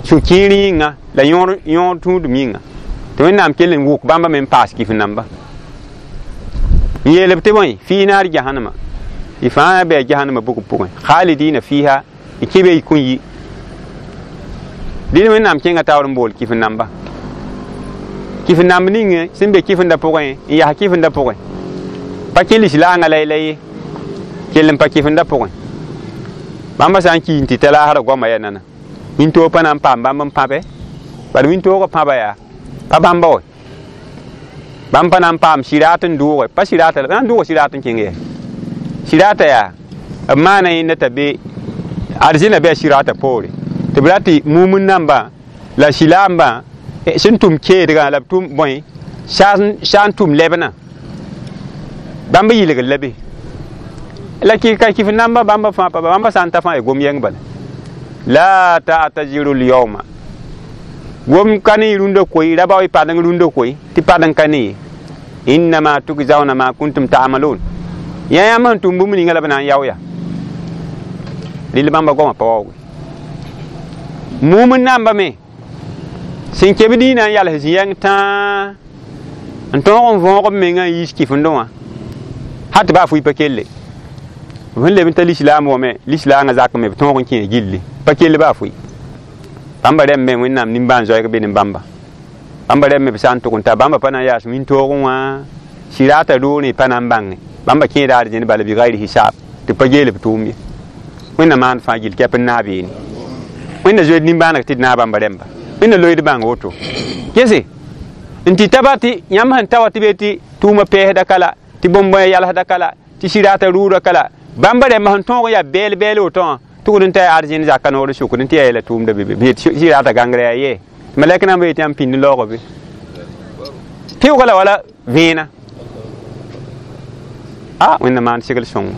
sũ-kiir yĩnga la yõor tũudum yĩnga tɩ wẽnnaam kell n wʋk bãmba me n paas kif-namba n yeel b tɩ bõe fii naar jahannama y fãa bɩ a jahannama bugb pʋgẽ khalidina fiha y kẽ be y kõ yi dĩn wẽnnaam kẽngã taoor n bool kif-namba kif-namb ning sẽn be kifendã pʋgẽ n yaa kifendã pʋgẽ pa kẽ lislaangã la ye kell n pa kifendã pʋgẽ bãmba sã n ki n tɩ ta laasrã goamã yaa nana wĩntoog pa na n paam bãmb n pãbe bad wĩntoogã pãba yaa pa bãmba wa bãmb pa na n paam sɩraat n dʋʋge pa sɩraata la n dʋʋga sɩraat n kẽng yɛ sɩraata yaa b maana yẽnda t'a be arzẽna bɩ a sɩraata poore tɩ b ra tɩ mumn nambã la silaambã sẽn tʋm keedgã la b tʋm bõe sã n tʋm lɛbnã bãmb yɩlgr la be la ka kif namba bãmba fãa pa bãmba sã n ta fãa ya gom yɛng bala la ta'taziru l-yawma gom ka ne rũndã koe raba y padeng rũndã koe tɩ padeng ka ne ye innama tugzauna ma kuntum ta'malun yã yãmb sẽn tʋm bũmb ninga la b na n yao ya rɩl bãmba goamã pa waooge mumn namba me sẽn keb dĩinã n yals zĩ-yɛng tãa n tõog n võog b mengã n yiis kifendẽ wã ha tɩ baa fʋɩ pa kelle b sẽn leb n ta lislaam wã me lislaangã zak me b tõog n kẽ gilli pa kell baa fʋɩ bãmba rẽmb me wẽnnaam nimbãan-zoɛɛg be ne bãmba bãmba rẽmb me b sã n tʋg n ta bãmba pa na n yaas wĩntoogẽ wã sɩraata roorẽ pa na n bãnge bãmba kẽeda arzẽn bala bɩ gayr hisaab tɩ pa geel b tʋʋm ye wẽnna maan fãa gill kɛp n naab yeene wẽnna zoeed nimbãaneg tɩ d naag bãmba rẽmba wẽnna loeed bãng woto gese n tɩ ta ba tɩ yãmb sẽn ta wa tɩ be tɩ tʋʋmã pɛɛsda ka la tɩ bõn-bõe yalsda ka la tɩ sɩraata rʋʋda ka la bãmba rẽmba sẽn tõog n yaa bɛɛl bɛɛl woto wã tʋgd n ta yaa arzẽn zaka noor sʋkd n tɩ yaa yeela tʋʋmda be be sɩraata gãngrã yaa yee malɛk namba yetɩ yãmb pĩnd laoogã be pɩʋga la wala vẽenã a wẽnna maan segl sõngo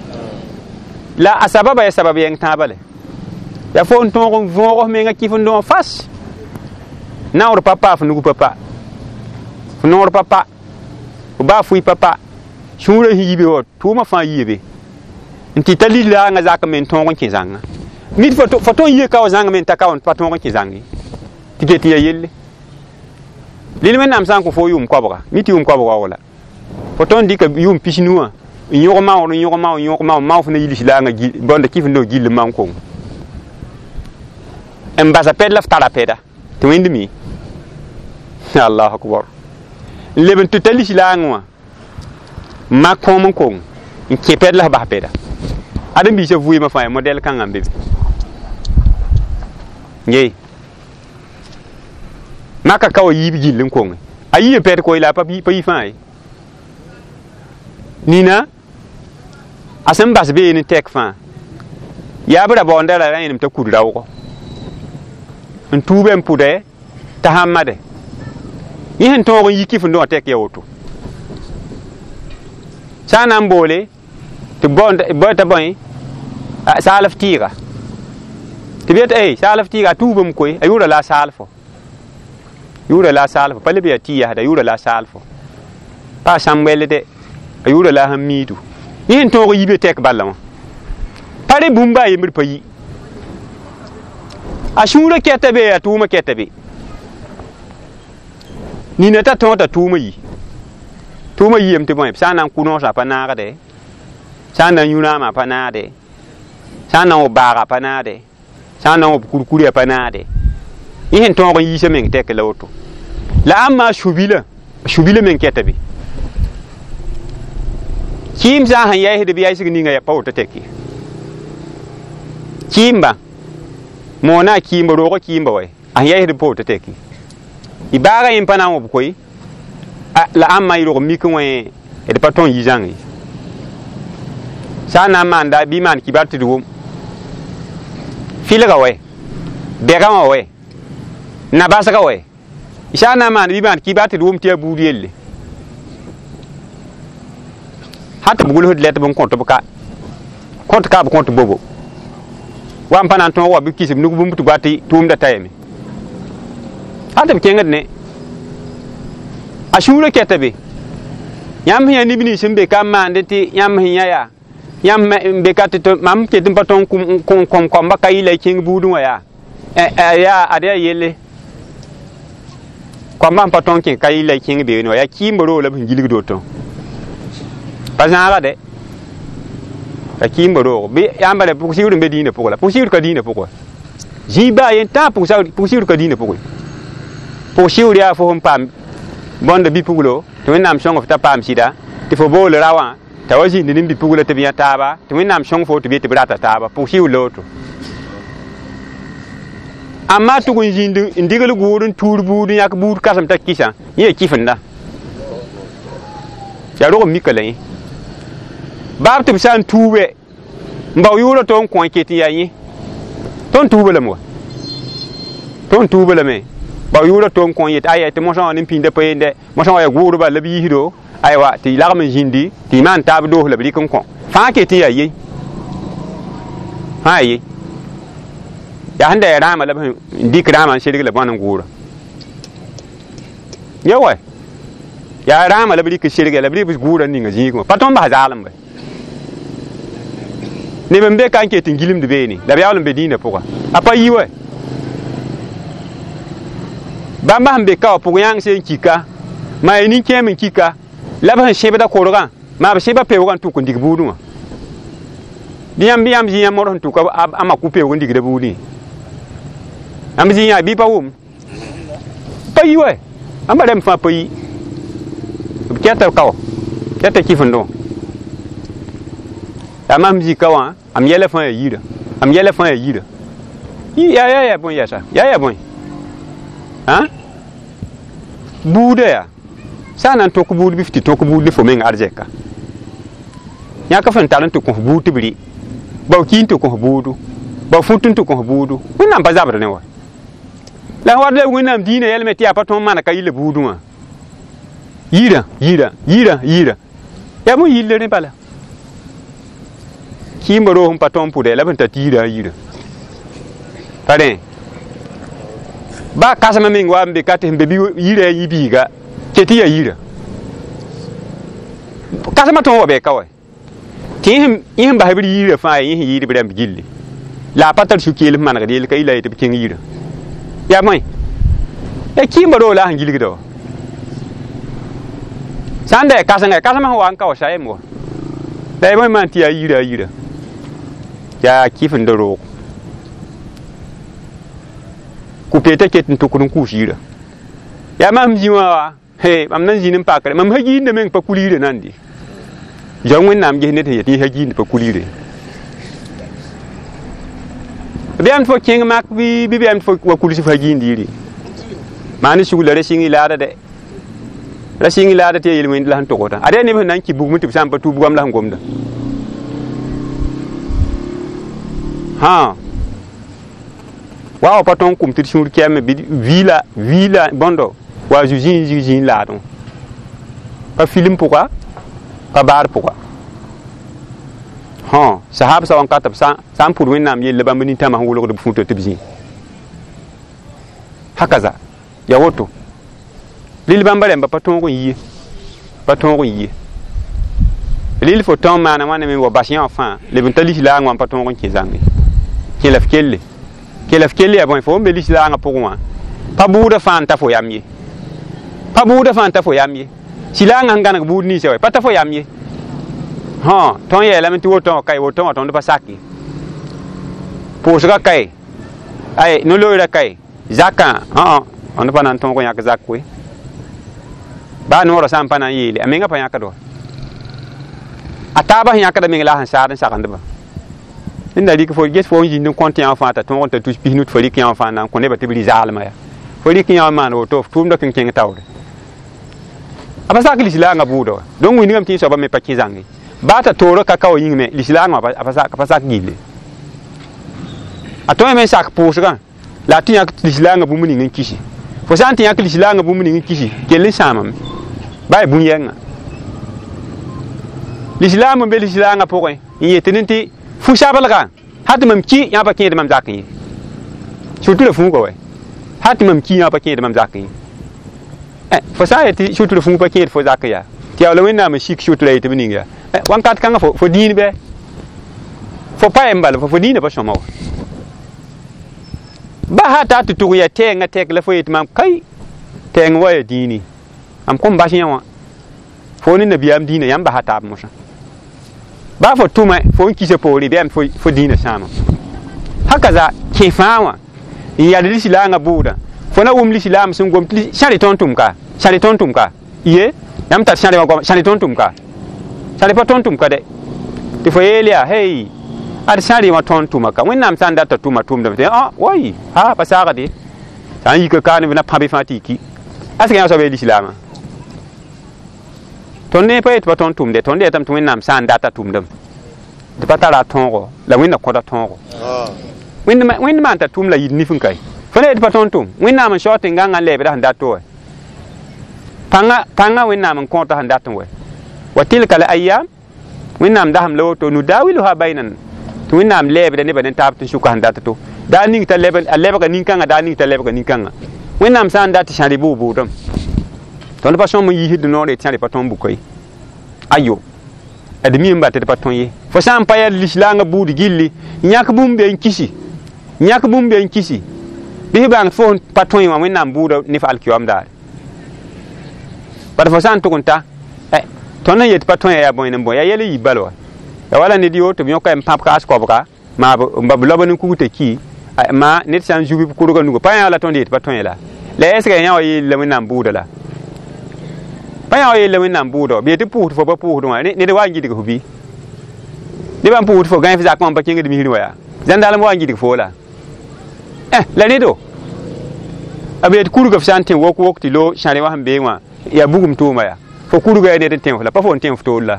la a sababa yaa sabab yɛng tãabã le yaa fo n tõog n võog f menga kifendẽ wã fas naoor pa pa f nug pa pa f noor pa pa f baa fʋɩ pa pa sũurã sẽn yi be wa tʋʋmã fãa yie be n tɩ ta lislaangã zak me n tõog n kẽ zãnga mid fo tõe n yie ka wa zãng me n ta ka wa pa tõog n kẽ zãng ye tɩ ket n yaa yelle lil wẽnnaam sã n kõ fo yʋʋm koabga mi tɩ yʋʋm koabga wa wala fo tõe n dɩka yʋʋm pisnu wã n yõg maoor n yõg mao n yõg mao mao f na yi lislaangã bõnda kifendẽ wã gill n maon kongo n basa pɛd la f tara pɛda tɩ wẽnd mi allahu akbar n leb n tɩ ta lislaangã wã n mak kõom n kong n kẽ pɛd la f bas pɛda ãdem-biisã vʋɩɩmã fãa yaa modɛl kãngã n be be ye maka ka wa yiib gill n konge a yiib pɛd koe la a pa yi fãa ye nina a sẽn bas bee ne tɛk fãa yaa b ra baoonda ra ra yẽnem t'a kud raoogɔ n tuube n pʋdɛ t'a sãn made yẽ sẽn tõog n yi kifendẽ wã tɛk ya woto sã n na n boole tɩ bõe t'a bõe saalf tɩɩga tɩ b yet ey saalf tɩɩga a tuubame koe a yʋʋra la a saalfo Yʋʋra la a saalfo pa leb yaa tɩ yasda yʋʋra la a saalfo pa a sãmb-wɛl dɛ a yʋʋra la a sẽn miidu yẽ sẽn tõog yi be tɛk bala wã pa re bũmb a yembr pa yi a sũurã kɛta be a tʋʋmã kɛta be nina t'a tõog t'a tʋʋmã yi tʋʋmã yiyame tɩ bõe sã n na n kʋ noosã pa naagde sã n na n yũ rãamã pa naade sã n na n wʋp baaga pa naade sã n na n wʋp kurkurã pa naade yẽ sẽn tõog n yiisã meng tɛk la woto la ãmb maa sũ-bilã meng kɛta be kɩɩm sã n sẽn yaɩsd bɩ yaɩsg ninga pa woto tɛk ye kɩɩmba moona a kɩɩmba roogã kɩɩmba wa a sẽn yaɩsd pa woto tɛk ye y baaga yẽ pa na n wʋb koe la ãmb maa y rog mik wẽ d pa tõn yi zãng ye sã n na n maanda bɩ maan kibar tɩ d wʋm fɩlga wɛ bɛgã wã wɛ nabasga wɛ sã n na n maan bɩ maan kibar tɩ d wʋm tɩ yaa buud yelle sã tɩ b gʋlsd lɛt b n kõt b ka kõt ka b kõt bobo wa n pa na n tõog wa bɩ kis b nug bũmb tɩ goa tɩ tʋʋmda ta yame sã tɩ b kẽngd ne a sũurã kɛta be yãmb sẽn yaa neb nins sẽn be ka n maande tɩ yãmb sẽn yã yaa yãmb n be ka tɩ mam ket n pa tõnd kɔmba ka yɩla y kẽng buudẽ wã yaa yaa ad yaa yelle kɔmbã sẽn pa tõnd kẽ ka yɩla y kẽng beene wã yaa kɩɩmba roog la b sẽn gilgd woto pa zãaga dɛ ya kɩɩmba roog bɩ yãmba rẽ pʋg-sigr n be dĩinã pʋgã la pʋg-sigr ka dĩinã pʋgã zĩig baa yen tãag pʋg-sigr ka dĩinã pʋgẽ pʋg-sigr yaa fo sẽn paam bõnda bi-puglo tɩ Wẽnnaam sõng f t'a paam sɩda tɩ fo bool ra wã t'a wa zĩnd ne bi-pugla tɩ b yã taaba tɩ Wẽnnaam sõng fo tɩ b yet tɩ b rata taaba pʋg-sigr la woto amma tʋg n zĩnd n digl gʋʋd n tuur buud n yãk buud kãsem t'a kɩsã yẽ yaa kɩfenda yaa rog n mika la yẽ baab tɩ b sã n tuube n bao yʋʋrã tɩ n kõ n ket n yaa yẽ tõnd tuuba lame wa tõnd tuuba lame bao yʋʋrã tɩ n kõ n yet aya tɩ mosã wã ne pĩndã pa yende mosã wã yaa gʋʋdba la b yiisdo aywa tɩ lagm n zĩndi tɩ y maan taab doos la b rɩk n kõ fãa ket n yaa ye fãa ye yaa sẽn da yaa rãamã la b sẽn dɩk rãamã n serg la bõn n gʋʋra ya wa yaa rãamã la b rɩk n serga la b rɩk gʋʋra n ninga zĩigẽ wã pa tõnd bas zaalem bɛ neb n be ka n ket n gilmd beene la b yaool n be dĩinã pʋga a pa yi wa bãmba sẽn be ka wã pʋg yãng sẽn kika maa ya nin-kẽem n kika la b sẽn sẽbda korgã maa b sẽba peoogã n tʋk n dig buudẽ wã bɩ yãmb yãmb zĩ yãmb modg sẽn tʋka a maku peoog n digda buudẽ yãmb zĩ yã bɩ pa wʋm pa yi wa ãmba rãmb fãa pa yi b kɛta ka wã kɛta kɩfendẽ wã yaa mam zĩ ka wã am yɛla fãa yaa yirã am yɛla fãa yaa yirã yaa yaa yaa bõe yɛsa yaa yaa bõe buudã yaa sã n na n tõk buud bɩ f tɩ tõk buud ne fo meng arzɛka yãk f n tar n tɩ kõs buud tɩ b rɩ bao ki n tɩ kõs buudu bao fũt n tɩ kõs buudu Wẽnnaam pa zabd ne wa la wat la Wẽnnaam dĩinã yɛlme tɩ yaa pa tõnd mana ka yɩla buudẽ wã yirã yirã yirã yirã yaa bõe yille rẽ bala kɩɩmba roog sẽn pa tõnd pʋdɛ la b sẽn tar tɩ yirã a yirã pa rẽ baa kãsemã meng wa n be ka tɩ sẽn be bɩ yirã a yi-biiga ket tɩ yaa yirã kãsemã tõog wa bɩ ka wa tɩ yẽ sẽn bas b yirã fãa yẽ sẽn yɩɩd b rãmb gilli la a pa tar sũ-keel f manegd yell ka yɩla ye tɩ b kẽng yirã yaa bõe yaa kɩɩmba roog la a sẽn gilgda wa sã n da yaa kãsenga kãsemã sẽn wa n ka wa sayem wa la ya bõe maan tɩ yaa yirã a yirã yaa kɩfenda roog kʋ-peetã ket n tʋkd n kʋʋs yirã yaa mam zĩ wã wa he mam na n zĩnd n pakre mam sa giinda meng pa kul yirã nandi zoa Wẽnnaam ges ned sẽn yet yẽ sa giind pa kul yire b yam tɩ fo kẽng mak bɩ b yam tɩ fo wa kuls f sa giind yiri maa ne sugla ra sɩng y laada dɛ ra sɩng y laada tɩ yaa yel-wẽnd la sẽn togsdã ad yaa neb sẽn na n kɩ bugmẽ tɩ b sã n pa tʋ bugam la sẽn gomda hã wa wa pa tõnd kʋm tɩ d sũur kɛame bɩ viila viila bõndo wa zu zĩig zĩig zĩig laadẽ pa film pʋga pa baar pʋga hõ sahab sa wã n ka tɩ b sã n pʋd Wẽnnaam yella bãmb nintãmã sẽn wʋlgd b fũta tɩ b zĩ hakaza ya woto Lil bãmba rẽmba pa tõog n yi, pa tõog n yi. Lil fo tõog maana wãna me wa bas yã wã fãa leb n ta lislaang wã n pa tõog n kẽ zãnge. Kẽ la f kelle. Kẽ la f kelle yaa bõe fo n be lislaangã pʋgẽ wã pa bʋʋda fãa n ta fo yam ye. Pa bʋʋda fãa n ta fo yam ye. Silaangã sẽn gãneg buud ninsã wa pa ta fo yam ye. Hõ tõnd yeelame tɩ woto wã kae woto wã tõnd pa sake. Pʋʋsgã kae ay no-loeerã kae zakã õ tõnd pa na n tõog n yãk zak we. Baa noorã sã n pa na n yeele a menga pa yãkd wa. A taabã sẽn yãkda meng la a sẽn saad n sagendba. Ned rɩk fo ges fo n zĩnd n kõt yã wã fãa t'a tõog n ta tus pisnu tɩ fo rɩk yã wã fãa n na n kõ nebã tɩ b rɩ zaalmã yaa. Fo rɩk yã wã maan woto f tʋʋmda kẽng kẽng taoore. A pa sak lislaangã bʋʋda wa. Donc wĩndgame tɩ soabã me pa kẽ zãnge. Baa t'a toorã ka ka wa yĩng me lislaangã wã a pa sak gilli. A tõe me n sak pʋʋsgã la a tɩ yãk lislaangã bũmb ning n kisi. Fo sã n tɩ yãk lislaangã bũmb ning n kisi kell n sãamame. Baa yaa bũn-yɛngã. Lislaam n be lislaangã pʋgẽ n yet ne tɩ fu-sablgã hal tɩ mam ki yã pa kẽed mam zakẽ ye. Surtout la fuuga wɛ. Hal tɩ mam ki yã pa kẽed mam zakẽ ye. Fo sã n yet tɩ surtout la fuug pa kẽed fo zakẽ yaa tɩ yaa la Wẽnnaam n sik surtout la yetɩ b ning yaa wãnkat kãngã fo dĩin bɩ fo pa yem bala fo dĩinã pa sõma wa. Ba ha ta tɩ tʋg yaa tɛɛngã tɛk la fo yet mam kai tɛɛng wa yaa dĩini mam kõn bas yã wã fo ne nabiyaam dĩinã yãmb basa taab mosã. Baa fo tʋma fo n kisa poore bɩ yaa fo dĩinã sãama. Hakaza kẽ fãa wã n yal lislaangã bʋʋdã fo na wʋm lislaam sẽn gom tɩ sãre tõnd tʋm ka sãre tõnd tʋm ka ye yãmb tar sãre wã goama sãre tõnd tʋm ka sãre pa tõnd tʋm ka dɛ tɩ fo yeel yaa hey ad sãre wã tõnd tʋma ka Wẽnnaam sã n data tʋma tʋmdame tɩ wai ha pa saagde sã n yika kaane b na pãbe fãa tɩ y ki a sẽn yã soab yaa lislaamã. Tõnd ne pa yet pa tõnd tʋmde tõnd yetame tɩ Wẽnnaam sã n data tʋmdame tɩ pa tara a tõogo la Wẽnna kõta tõogo. Wẽnd maan t'a tʋm la yid nif n kae. Fo na yet pa tõnd tʋm Wẽnnaam n sao tẽn-gãngã n lɛɛbda sẽn dat wa. Pãngã Wẽnnaam n kõota sẽn dat n wɛ. Wa tilka al ayyam Wẽnnaam dasem la woto nudawiluha baynan tɩ Wẽnnaam lɛɛbda nebã ne taab tɩ sʋka sẽn dat to. Daa ning t'a a lebga nin-kãngã daa ning t'a lebga nin-kãngã. Wẽnnaam sã n dat tɩ sãre bʋʋg-bʋʋdame. Tõnd pa sõm n yiisd noor tɩ sãre pa tõnd bʋka ye. Ayo. Ad mi n bat tɩ pa tõe ye. Fo sã n pa yaa lislaangã buud gilli yãk bũmb be n kisi. Yãk bũmb be n kisi. Bɩ f bãng tɩ fo pa tõe wã Wẽnnaam bʋʋda ne f alkiyoam daare. Bala fo sã n tʋg n ta tõnd n yet pa tõe yaa bõe n bõe yaa yɛl n yi bal wa. Ya wala ned yo tɩ b yõka n pãb kaas koabga maa b lob n kug t'a ki maa ned sã n zub b kurgã nuga pa yã la tõnd yet pa tõe la. La est-ce que yã wa yeel la Wẽnnaam bʋʋda la? Pa yã wa yeel la Wẽnnaam bʋʋda b yetɩ pʋʋsd fo pa pʋʋsd wã ned wa n gidg fo bɩ? Nebã n pʋʋsd fo gãe f zakã wã n pa kẽngd misrẽ wa yaa zãndalem wa n gidg fo la. La rẽdo b yet kurga f sã n tẽ wok wok tɩ lo sãre wã sẽn bee wã yaa bugum tʋʋma yaa fo kurga yaa ned n tẽ f la pa fo n tẽ f toor la.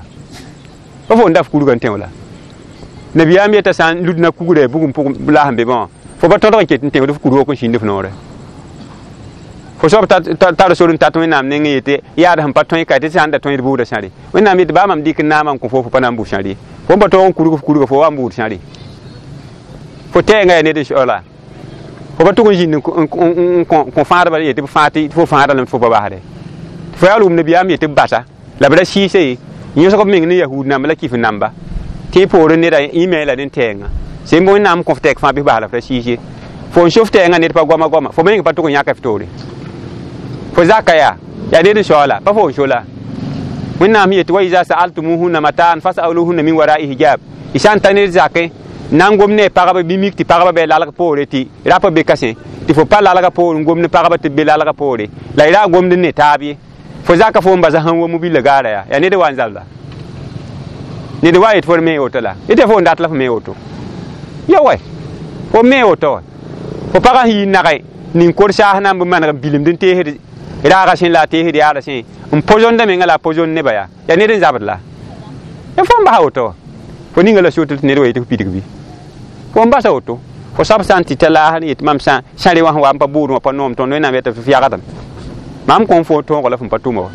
Pa fo n da f kurga n tẽ f la. Nabiyaam yeta sã n ludna kugrã bugum pʋgẽ la sẽn be bã wã fo pa tõdg n ket n tẽfd f kur wok n sĩnd f noorɛ. Fo soab tar sor n tat Wẽnnaam nengẽ yetɩ yaad sẽn pa tõe ka tɩ sã n da tõed bʋʋda sãre. Wẽnnaam yetɩ baa mam dɩk n naamã n kõ fo fo pa na n bʋ sãre. Fo n pa tõog n kurg f kurga fo wa n bʋʋd sãre. Fo tɛɛngã yaa ned n soala. Fo pa tʋg n zĩnd n kõ fãadba yetɩ b fãa tɩ fo fãada lame tɩ fo pa basde. Fo yaa wʋm nabiyaam yetɩ b basa la b ra sɩɩse ye yõsg b meng ne yahud namba la kif namba tɩ poorẽ neda yẽ me la ne tɛɛngã. Sẽn bõe Wẽnnaam kõ f tɛk fãa bɩ f bas la f ra sɩɩs ye. Fo n sof tɛɛngã ned pa goama goama fo meng pa tʋg n yãka f toore. Fo zaka yaa yaa ned n soaala pa fo n so la. Wẽnnaam yetɩ wa iza sa'altumuhunna mataan fas'aluhunna min wara'i hijab. Y sã n ta ned zakẽ na n gom ne pagba bɩ mik tɩ pagba bɩ lalg poore tɩ rapa be ka sẽ tɩ fo pa lalga poore n gom ne pagba tɩ b be lalga poore la y ra gomd ne taab ye. Fo zaka fo n basa sẽn wom billa gaara yaa yaa ned wa n zabla. Ned wa yet fo d me woto la yetɩ fo n dat la fo me woto. Ya wɛ fo me woto wa. Fo pagã sẽn yi nagẽ nin-kor saas na n bɩ maneg n bilemd n teesd raagã sẽ la a teesd yaada sẽ n pozonda menga la a pozond nebã yaa yaa ned n zabd la. Ya fo n basa woto wa. Fo ninga la sotl tɩ ned wa yetɩ f pidg bɩ. Fo n basa woto. Fo soab sã n tɩ ta laas n yetɩ mam sãre wã sẽn wa n pa bʋʋd wã pa noom tõnd Wẽnnaam yeta tɩ f yagdame. Mam kõn fo tõogo la fõn pa tʋma wa.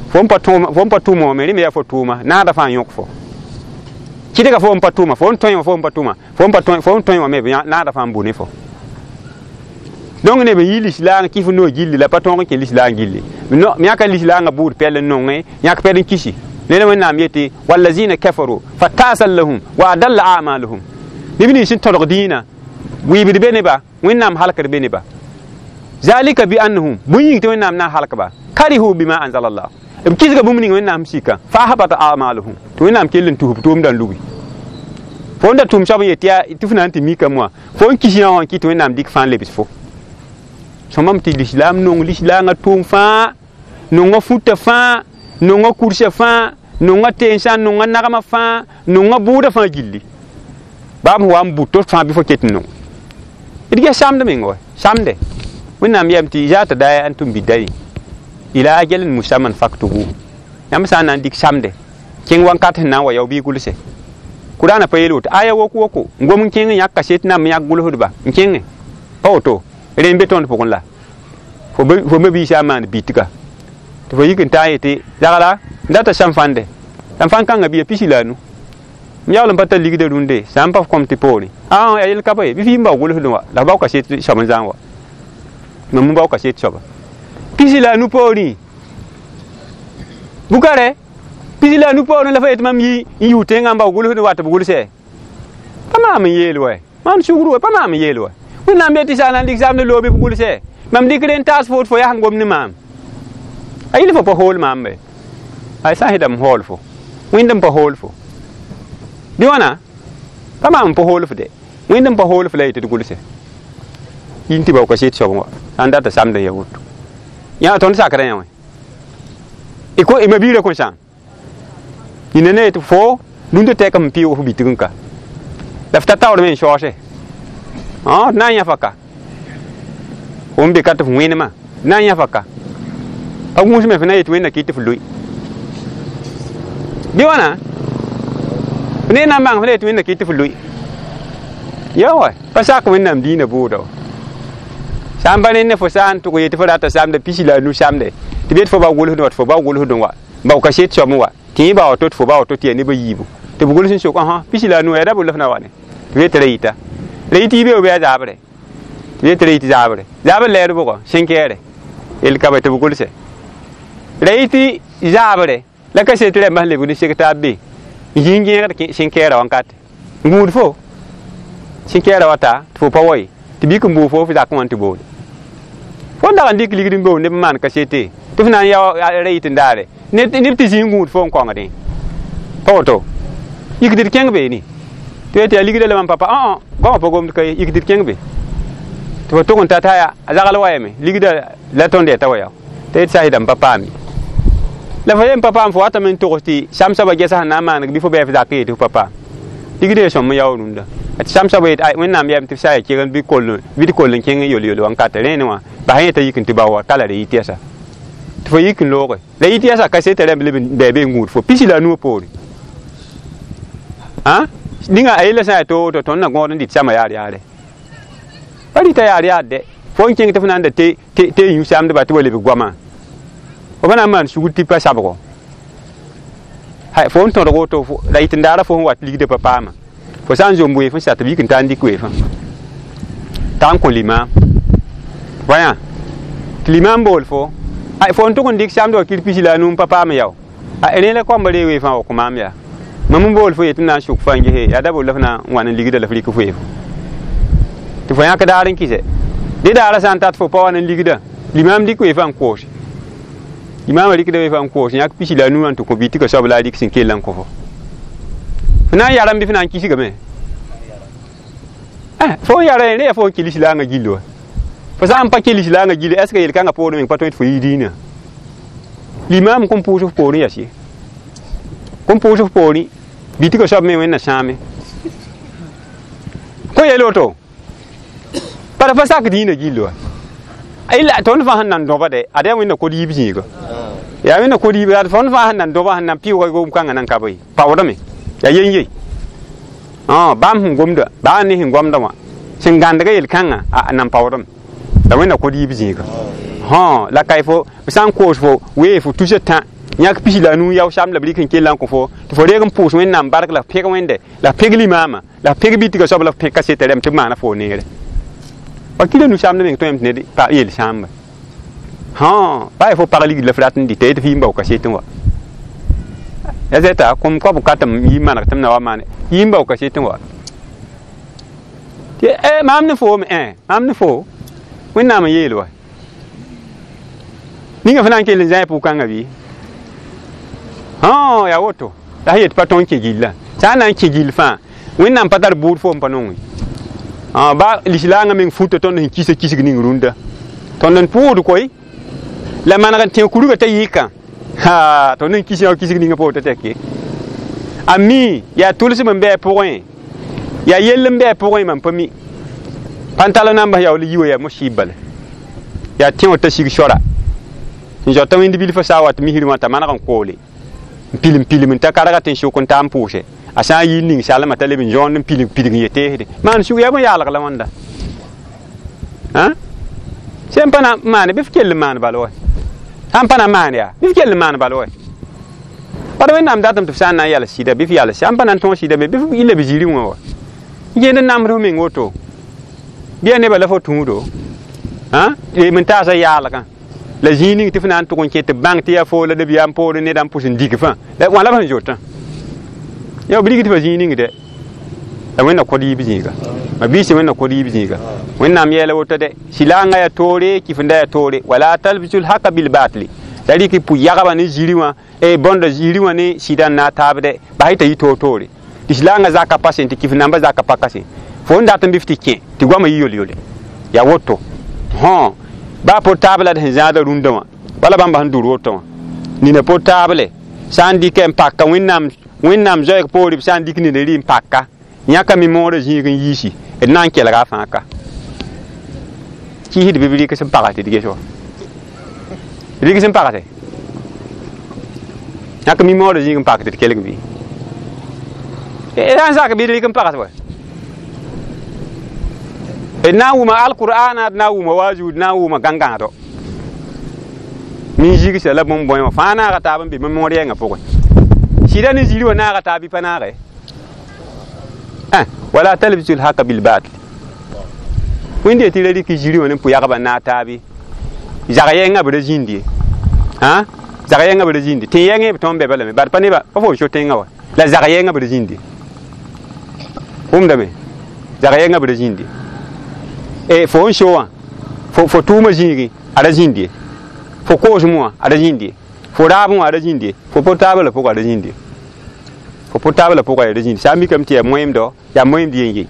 Fo n pa tʋma wã me rẽ me yaa fo tʋʋma naada fãa yõk fo. Kɩdga fo n pa tʋma fo n tõe wã fo n pa tʋma fo n tõe wã me naada fãa n bʋ ne fo. Donc neb n yi lislaang kɩf no gilli la pa tõog n kẽ lislaang gilli yãka lislaangã buud pɛl n nongẽ yãk pɛl n kisi ned wẽnnaam yetɩ wallazina kafaru fatasan lahum wa adalla amaluhum neb nins sẽn tõdg dĩinã wɩɩbd be neba wẽnnaam halkd be neba zalika bi annahum bũn yĩng tɩ wẽnnaam na n halkba karihu bima anzala llah b kisga bũmb ning wẽnnaam sika fa ahbata amaluhum tɩ wẽnnaam kell n tus b tʋʋmdã n lugi fo n da tʋʋm soab n yet yaa tɩ f na n tɩ mikame wã fo n kis yã wã n kɩt wẽnnaam dɩk fãa n lebs fo sõmam tɩ lislaam nong lislaangã tʋʋm fãa nonga futa fãa nonga kursa fãa nonga tensã nonga nagma fãa nonga bʋʋda fãa gilli baab sẽn wa n bʋ to fãa bɩ fo ket n nong d ges samd meng wa samde wẽnnaam yam tɩ zaata da antum bidayi ila ajalin musamman faktubu yãmb sã n na n dɩk samde kẽng wãnkat sẽn na n wa yao bɩ gʋlse Kurana pa yel woto aya wok woko n gom n kẽng n yãk kaset nam n yãk gʋlsdba n kẽngẽ pa woto rẽ n be tõnd pʋgẽ la fo me biisã n maan bitga tɩ fo yik n taa yetɩ zagla n data sãm fãnde sãm fãn kãngã bɩa pisi la a nu m yaool n pa tar ligdã rũndẽ sã n pa f kõm tɩ poorẽ a yel ka pa ye bɩ f yim bao gʋlsdẽ wa la f bao kaset soab n zãng wa mam n bao kaset soaba pisi la a nu poorẽ bukare pisi la a nu poorẽ la fa yetɩ mam yi n yʋ tẽngã n bao gʋlsdẽ wa tɩ b gʋlsɛ pa maam n yeel wa maan sugr wa pa maam n yeel wa wẽnnaam be tɩ sã na n dɩk samd loob b gʋlsɛ mam dɩk rẽ n taas fo tɩ fo yaa sẽn gom ne maam a yɩl fo pa hool maam be ay sã n sɩdame hool fo wẽnd n pa hool fo bɩ wãna pa maam n pa hool f de wẽnd n pa hool f la yetɩ d gʋlse yĩn tɩ bao kaset soab wa sã n data samd n ya woto yã tõnd sakrã yã wã y ma biirã kõn sãam yĩnda ne yetɩ fo rũndã tɛk m pɩʋʋg f bitg n ka la f ta taoor me n saoose d na n yã faka fo n be ka tɩ f wẽnema d na n yã faka pa gũusme f na yetɩ wẽnna kɩ tɩ f loe bɩ wãna f ne na n bãng f na yetɩ wẽnna kɩ tɩ f loe ya wa pa sak wẽnnaam dĩinã bʋʋda wa sã n pa ne fo sã n tʋg yetɩ fo rata samda pisi la a nu samde tɩ b yet fo bao gʋlsdẽ wa tɩ fo bao gʋlsdẽ wa bao kaset soab wa tɩ yẽ bao to tɩ fo bao to tɩ yaa neb a yiibu tɩ b gʋls n sok pisi la a nu yaa da bʋ la f na wa ne tɩ b yet ra yita ra yit yiibeo bɩ a zaabre tɩ b yet ra yit zaabre zaabr lɛɛr bʋgɔ sẽn-kɛɛre yel ka ba tɩ b gʋlse ra yit zaabre la kaset rãmbã sẽn lebg ne seg taab be n zĩ n gẽegd sẽn-kɛɛra wãnkate n gũud fo sẽn-kɛɛra wa ta tɩ fo pa wa ye tɩ bik n bʋʋ fo f zakẽ wã n tɩ boole fo n dag n dɩk ligd n bool neb n maan kasete tɩ f na n ya ra yit n daare neb tɩ zĩ n gũud fo n kõngdẽ pa woto yikd d kẽng beene tɩ tɩ yaa ligdã la mam papa goamã pa gomd ka ye yikd d kẽng be tɩ fo tʋg n ta t'a a zagl wa yame ligdã la tõnd yaa t'a wa ya t'a yet sã n pa paam ye la fo yen pa paam fo watame n togs tɩ sam soabã gɛsa sẽn na n maaneg bɩ fo bɩ f zakẽ yetɩ f pa paam ligdã ya sõm n yaool rũndã tɩ sam soabã yet wẽnnaam yam tɩ f sã ya kegend bɩ d koll n kẽng yol-yol wãnkate rẽene wã bas yẽ t'a yik n tɩ bao wa ka la ra yit yɛsa tɩ fo yik n looge la yit yɛsa kaseta rãmb leb n bɩ be n gũud fo pisi la a nuã poore ninga a yella sã n yaa to woto tõnd na gõod n dɩt samã yaar yaare pa rɩta yaar yaar dɛ fo n kẽng tɩ f na n da tɩ yũ samdba tɩ wa lebg goamã fo pa na n maan sugr tɩ pa sabgo fo n tõdg woto la yit n daara fo sẽn wat ligdã pa paama fo sã n zom weef n sat b yik n taa n dɩk weefã t'a n kõ limaam wã tɩ limaam bool fo fo n tʋg n dɩk samd wa kir pisi la a nu n pa paam yao rẽ la koamba ree weefã wa kõ maam yaa mam n bool fo yetɩ na n sʋk fa n gese yaa da bol la f na n wa n ligdã la f rɩk weefo tɩ fo yãk daar n kɩsɛ dẽ daara sã n tat fo pa wa n ligdã limaam dɩk weefã n koose limaamã rɩkda weefã n koos yãk pisi la a nu wã n tɩ kõ bitgã soab la a rɩk sẽn kell n kõ fo f na n yarame bɩ f na n kisgame fo n yara rẽ yaa fo n kɩ lislaangã gill wa fo sã n pa kɩ lislaangã gill est ce que yel-kãngã poorẽ meng pa tõe tɩ fo yɩ dĩinã limaam kõn pʋʋs f poorẽ yas ye kõn pʋʋs f poorẽ bitgã soab me wẽnna sãame kõ yel woto bara pa sak dĩinã gill wa illa tõnd fãa sẽn nan dõba de ad yaa wẽnna kod yiib zĩiga yaa wẽnna kod yiib ad tõnd fãa sẽn nan dõba sẽn nan pɩʋʋga gom-kãngã nan ka bɩ paoodame yaa yen-ye bãmb sẽn gomda baa ne sẽn gomda wã sẽn gãndga yel-kãngã a nan paoodame la wẽnna kod yiib zĩiga la ka fo sã n koos fo wee fo tusa tã yãk pisi la a nuu yao sam la b rɩk n kell n kõ fo tɩ fo reeg n pʋʋs wẽnnaam bark la f pẽg wẽnde la f pẽg limaamã la f pẽg bitgã soab la f pẽg kaseta rãmb tɩ b maana fo neere Wakila nu sãamd meng tõem tɩ ned yel sãamba hã baa fo pag ligd la f rat n dɩta tɩ f yĩmba kaset n wa ya zɛta kũm koab ka tɩ m yi maneg tɩ m na wa maane yĩmba kaset n wa tɩ maam ne foome maam ne fo Wẽnnaam n yeel wa ninga fo na n kell n zãe pʋg-kãngã bɩ hã yaa woto la sẽn yet pa tõe n kẽ gillã sã n na n kẽ gill fãa Wẽnnaam pa tar bʋʋd fo n pa nonge ba lislaangã meng futa tõnd sẽn kisa kisg ning rũndã tõnd n pʋʋd koe la maneg n tẽ kurgã t'a yɩkã ha tõnd n kis yã kisg ninga poor t'a tɛke a mi yaa tʋlsem n bɩ a pʋgẽ yaa yell n bɩ a pʋgẽ mam pa mi pãntalo nambã yaool yi wa yaa mosɩɩb bala yaa tẽ t'a sig sora n zoata wẽnd bilfã sã wat misrẽ wã t'a maneg n koole n pilim pilim n ta karga tɩ n sʋk n taa n pʋʋse a sã n yi n ning salmã t'a leb n zõond n pilig pilig n yet teesde maan sug yaa bõe-yaalg la wãnda sẽn pa na n maane bɩ f kell n maan bal wa sã n pa na n maan yaa bɩ f kell n maan bal wa bad Wẽnnaam datame tɩ f sã n na n yals sɩda bɩ f yals sã n pa na n tõog sɩda me bɩ f yɩ la b zĩri wã wa n gẽnd n namsd f meng woto bɩ yaa nebã la fo tũudo lem n taasa yaalgã la zĩig ning tɩ f na n tʋg n kẽ tɩ bãng tɩ yaa foo la nabiyaam poorẽ neda n pʋs n dig fãa la wã la b sẽn zotã ya b rig tɩ fa zĩig ning dɛ la Wẽnna kod yiib zĩiga ma biisi Wẽnna kod yiib zĩiga Wẽnnaam yɛɛla woto dɛ sɩlaangã yaa toore kifnda yaa toore wala talbisul haka bilbatli la rɩk pʋ-yagba ne zĩri wã bõnda zĩri wã ne sɩda n na taab dɛ bas t'a yɩ toor-toore tɩ sɩlaangã zaka pa sen tɩ kif nambã zaka pa ka sen fo n dat n bɩ f tɩ kẽ tɩ goamã yɩ yol-yole yaa woto hõ baa portable d sẽn zãada rũndã wã wala bãmba sẽn dʋr woto wã nina portable sã n dɩkɛ n paka Wẽnnaam zoɛɛg poore b sã n dɩk nina rɩ n paka yãka mi moorã zĩig n yiisi d na n kelga a fãa ka kiisd bɩ b rɩk sẽn pags tɩ d ges wa rɩk sẽn pagse yãk mi moorã zĩig n pak tɩ d kelg bɩ sã n sak bɩ d rɩk n pags wa d na n wʋma alqur'ana d na n wʋma waazu d na n wʋma gãngãado min zigsa la bõmb bõe wã fãa naaga taab n be moor yɛngã pʋgẽ sɩda ne zĩri wã naaga taab bɩ pa naage wala talbisu lhaka bilbatil wẽnd yetɩ ra rɩk zĩri wã ne pʋ-yagba n naag taabe zag yɛngã b ra zĩnd ye zag yɛngã b ra zĩnde tẽ yɛngẽ b tõnd bɛ balame bad pa nebã pa fo so tẽngã wa la zag yɛngã b ra zĩnde wʋmdame zag yɛngã b ra zĩnde fo n so wã fo tʋʋmã zĩigẽ a ra zĩnd ye fo koosem wã a ra zĩnd ye fo raabẽ wã a ra zĩnd ye fo portable la pʋgã a ra zĩnd ye fo portable la pʋgã a ra zĩnd sã n mikame tɩ yaa moẽmdo yaa moẽmd yen ye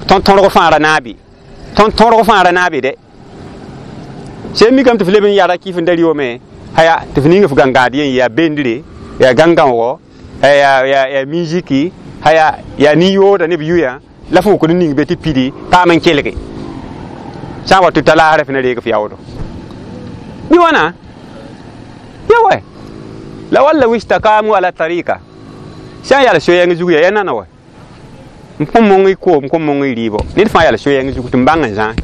tõnd tõrg fãa ra naabe tõnd tõrg fãa ra naabe dɛ sẽn mikame tɩ f leb n yara kɩf n da rɩ haya tɩ f ning f gãngãad yen yaa bendre yaa gãngãoogo yaa miziki haya yaa nin-yooda ne b yʋyã la f wʋkd n ning be tɩ pidi paam n kelge sã n wa tɩ ta laasrã f na reeg f yaoodo bɩ wãna ya wa la walla wistakamu ala tarika sã n yaa so-yɛng zug ya nana wa n kõn mong y koom kõn mong y rɩɩbo ned fãa yaa so-yɛng zug tɩ n bãng n zãe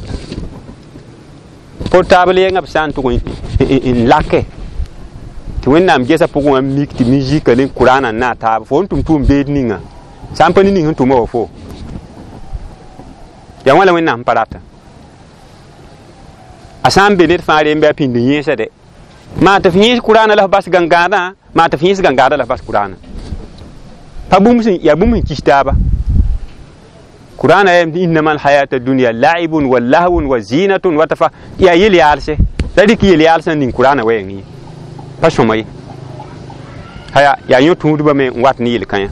portable yɛngã b sã n tʋg n lake tɩ Wẽnnaam gesa pʋgẽ wã mik tɩ mizika ne kurana n naag taab fo n tʋm tʋʋm beed ninga sã n pa ne ning sẽn tʋma wa fo yaa wã la Wẽnnaam pa rata a sã n be ned fãa rembe a pĩnd n yẽesa dɛ maa tɩ f yẽes kurana la f bas gãngãadã maa tɩ f yẽes gãngãadã la f bas kurana pa bũmb sẽn yaa bũmb sẽn kis taaba kurana yam innama alhayata dunya la'ibun wa lahwun wa zinatun wa tafa yaa yel-yaalse la rɩk yel-yaalsã ning kurana wɛɛng ye pa sõma ye haya yaa yõ tũudbã me n wat ne yel-kãyã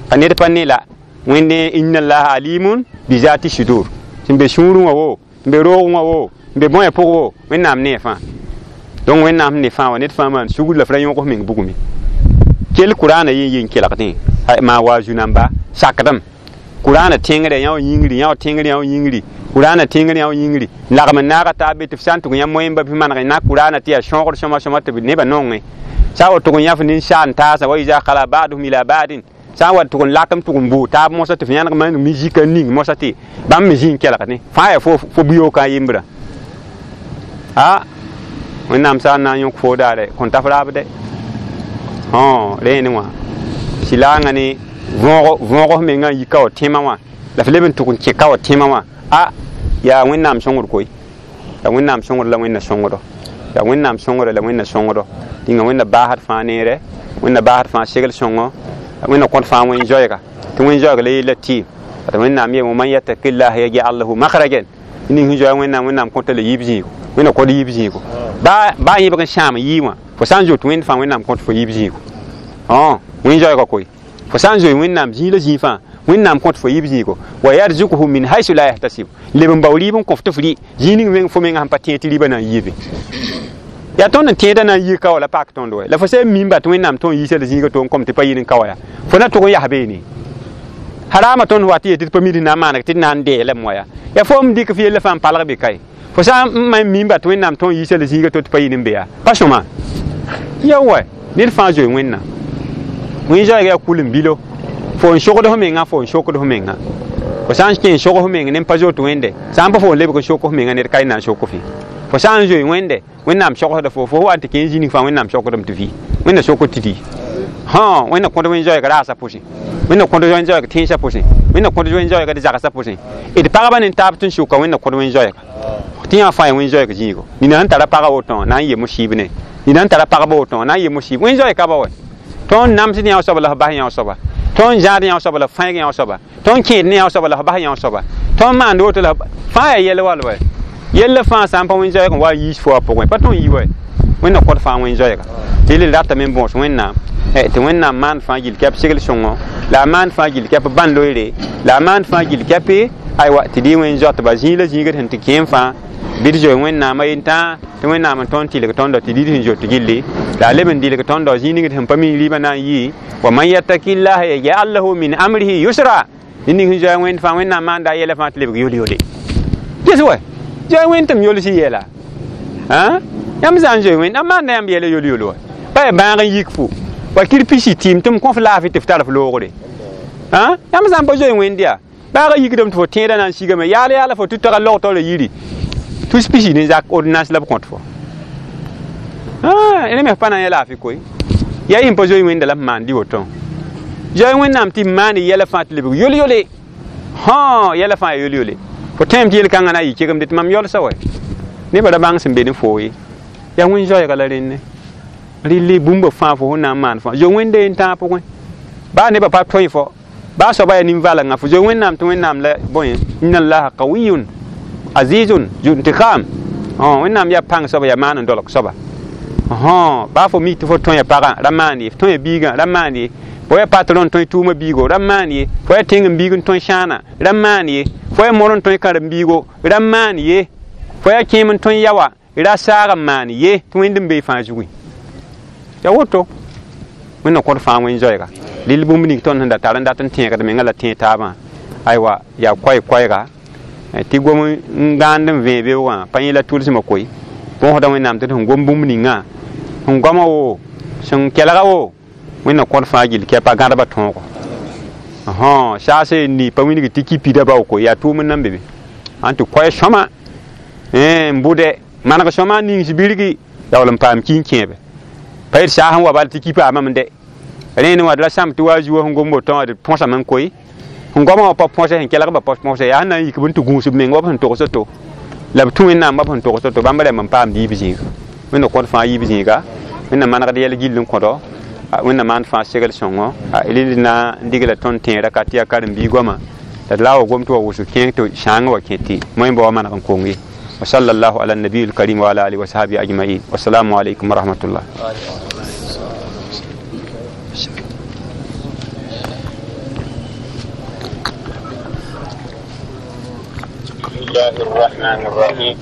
pa ned pa ne la Wẽnde inna allaha alimun bi zati sudur sẽn be sũurẽ wã wo n be roogẽ wã wo n be bõe pʋg wo Wẽnnaam nee fãa donc Wẽnnaam sẽn ne fãa wã ned fãa maan sugr la f ra yõg f meng bugme kell kurana yen yen kelgdẽ maa wa zu-namba sakdem kurana tẽngre yã wa yĩngri yã wa tẽngre yã wa yĩngri kurana tẽngre yã wa yĩngri lagm n naaga taab be tɩ f sã n tʋg yã moẽmba bɩ maneg na kurana tɩ yaa sõogd sõma sõma tɩ nebã nongẽ sã n wa tʋg n yãf nin-saan taasa wa iza khala ba'duhum ila ba'din sã n wa tʋg n lak n tʋg n bʋʋ taab mosã tɩ f yãneg maan mizika ning mosã tɩ bãmb me zĩ n kelgdẽ fãa yaa fo buyookã yembrã a Wẽnnaam sã n na n yõk fo daare kõn ta f raab dɛ rẽene wã sɩlaangã ne võog f mengã n yi ka wa tẽmã wã la f leb n tʋg n kẽ ka wa tẽmã wã a Yaa wẽnnaam sõngd koe, yaa wẽnnaam sõngd la wẽnna sõngdo, yaa wẽnnaam sõngre la wẽnna sõngdo. Tɩnga wẽnna baasd fãa neere, wẽnna baasd fãa segl sõngo, wẽnna kõt fãa wẽn-zoɛɛga, tɩ wẽn-zoɛɛg la yella tɩɩm. Tɩ wẽnnaam yeeme man yattaqillaha yaj'al lahu makhrajan. Ning sẽn zoa wẽnnaam, wẽnnaam kõta la yiib zĩigo, wẽnna kõt yiib zĩigo. Baa yẽbg n sãam yɩ wã, fo sã n zoet wẽnd fãa, wẽnnaam kõt fo yiib zĩigo. Wẽn-zoɛɛga koe, fo sã n zoe wẽnnaam zĩig la zĩig fãa, wẽnnaam kõt fo yiib zĩigo. Wa yarzukuhu min haythu la yahtasib, leb n bao rɩɩb n kõ f tɩ f rɩ zĩig ning meng fo menga sẽn pa tẽeg tɩ rɩɩbã na n yiibe. Yaa tõnd n tẽedã na n yik ka wa la pak tõnd wɛ la fo sã n mimba tɩ wẽnnaam tõe n yiisa la zĩiga to n kom tɩ pa yɩl n ka wa yaa fo na tʋg n yas beene. Harama tõnd wa tɩ yetɩ tɩ pa mid n na n maaneg tɩ d na n deelame wa yaa. Yaa fo m dɩk f yella fãa n palg be kae. Fo sã n ma n mimba tɩ wẽnnaam tõe n yiisa la zĩiga to tɩ pa yɩl n be yaa pa sõma. Ya wɛ ned fãa zoe wẽnnaam. Wẽn-zoɛɛga yaa kul n bilo. Fo n sogd f menga, fo n sokd f menga. Fo sã n kẽ n sog f meng ne n pa zoet wẽnde, sã n pa fo n lebg n sok f menga ned ka y na n sok f ye. Fo sã n zoe wẽnde, wẽnnaam sogsda fo, fo wa n tɩ kẽ n zĩnig fãa wẽnnaam sokdame tɩ vɩ. Wẽnna sokd tɩ dɩ. Wẽnna kõt wẽn-zoɛɛg raasã pʋsẽ, wẽnna kõt wẽn-zoɛɛg tẽnsã pʋsẽ, wẽnna kõt wẽn-zoɛɛg d zagsã pʋsẽ. D pagba ne taab tɩ n soka wẽnna kõt wẽn-zoɛɛga. Tɩ yã fãa yaa wẽn-zoɛɛg zĩigo. Nina sẽn tara pagã woto wã na n yem sɩɩb ne. Nina sẽn tara pagba woto wã na n yem sɩɩb. Wẽn-zoɛɛg ka ba wɛ. Tõnd namsd yã soaba la f bas yã soaba. Tõnd zãad yã soaba la f fãeeg yã soaba. Tõnd kẽed ne yã soaba la f bas yã soaba. Tõnd maand woto la fãa yaa yɛl wal wɛ. Yella fãa sã n pa wẽn-zoɛɛg n wa n yiis fo a pʋgẽ, pa tõe n yi wɛ. Wẽnna kõt fãa wẽn-zoɛɛga. Tɩ yel ratame n bõos wẽnnaam. Tɩ wẽnnaam maan fãa gill kɛp segl sõngo, la a maan fãa gill kɛp bãn loeere, la a maan fãa gill kɛpe aywa tɩ dɩ wẽn-zoatba zĩig la zĩigd sẽn tɩ kẽem fãa bɩ d zoe wẽnnaamã yentã tɩ wẽnnaam n tõnd tɩlg tõndo tɩ dɩd sẽn zoet gilli, la a leb n dɩlg tõndo zĩig ning d sẽn pa mi rɩɩbã na n yɩ. Wa man yattaqillaha yaj'al lahu min amrihi yusra. Ned ning sẽn zoa wẽnd fãa, wẽnnaam maanda a yɛla fãa tɩ lebg yol-yole. Ges wɛ zoa wẽnd tɩ m yols yɛla. Yãmb zã n zoe wẽnd, a maanda yãmb yɛla yol-yol wa. Pa yaa bãag n yik fo wa kir pisi tɩɩm tɩ m kõ f laafɩ tɩ f tar f loogre. Yãmb zã n pa zoe wẽnd yaa baaga yikdame tɩ fo tẽedã na n sigame yaal yaala fo tɩ taga log taoora yiri tus pisi ne zak ordonnance la b kõt fo. Rẽ me pa na n yaa laafɩ koe. Yaa y sẽn pa zoe wẽnda la f maan dɩ woto. Zoe wẽnnaam tɩ m maan yɛla fãa tɩ lebg yol-yole. Yɛla fãa yaa yol-yole. Fo tẽem tɩ yel-kãngã na n yɩ kegemde tɩ mam yolsa wɛ. Nebã ra bãng sẽn be ne foo ye. Yaa wẽn-zoɛɛga la rẽnne. Rɩlli bũmba fãa fo sẽn na n maan fãa. Zoe wẽnde n tãag pʋgẽ. Baa nebã pa tõe fo, baa soaba yaa nin-valengã, fo zoe wẽnnaam tɩ wẽnnaam la bõe inna allaha qawiyun azizun zu intiqam. Wẽnnaam yaa pãng soaba, yaa maan n dolg soaba. Baa fo mi tɩ fo tõe ya pagã, ra maan ye, fo tõe ya biigã, ra maan ye, fo yaa patron n tõe tʋʋmã biigo, ra maan ye, fo yaa tẽng n biig n tõe sãana, ra maan ye, fo yaa mor n tõe karen-biigo, ra maan ye, fo yaa kẽem n tõe yaoa, ra saag n maan ye, tɩ wẽnd n bee fãa zugẽ. Ya woto wẽnna kõt fãa wẽn-zoɛɛga. Rɩl bũmb ning tõnd sẽn da tar n dat n tẽegd menga la tẽeg taabã, aywa yaa koɛɛ-koɛɛga tɩ gom n gãand n vẽe beoogã pa yẽ la tʋlsmã koe. Põsda wẽnnaam tɩ d sẽn gom bũmb ningã, sẽn goama wo, sẽn kelga wo, wẽnna kõt fãa gill kɛpa gãdba tõogo. Saase n ni pa wilg tɩ ki pida bao koe, yaa tʋʋm n nan be be. Ãn tɩ koɛɛ sõma n bʋdɛ maneg sõma n nings birgi yaool n paam ki n kẽebe. Pa yet saas n wa bal tɩ ki paamame dɛ. Rẽnd wã d ra sãmb tɩ wa a zuo sẽn gom woto wã d põsame n koe. Sẽn goamã wã pa põse, sẽn kelgba pa põse, yaa sẽn na n yik b n tɩ gũus b meng wa b sẽn togs to. La b tũ wẽnnaam wa b sẽn togs to, bãmb rãmb n paamd yiib zĩiga. Wẽnna kõt fãa yiib zĩiga, wẽnna manegd yɛl gill n kõdo, wẽnna maan fãa segl sõngo. Rɩl na n digla tõnd tẽera ka tɩ yaa karen-biig goama. La d la wa gom tɩ wa wʋsg kẽeng tɩ sãangã wa kẽ tɩ moẽmba wa maneg n kong ye. Wa sallallahu ala nabiyil karim wa ala alihi wa sahbihi ajma'in. Wassalamu alaikum wa rahmatullah. الله الرحمن الرحيم.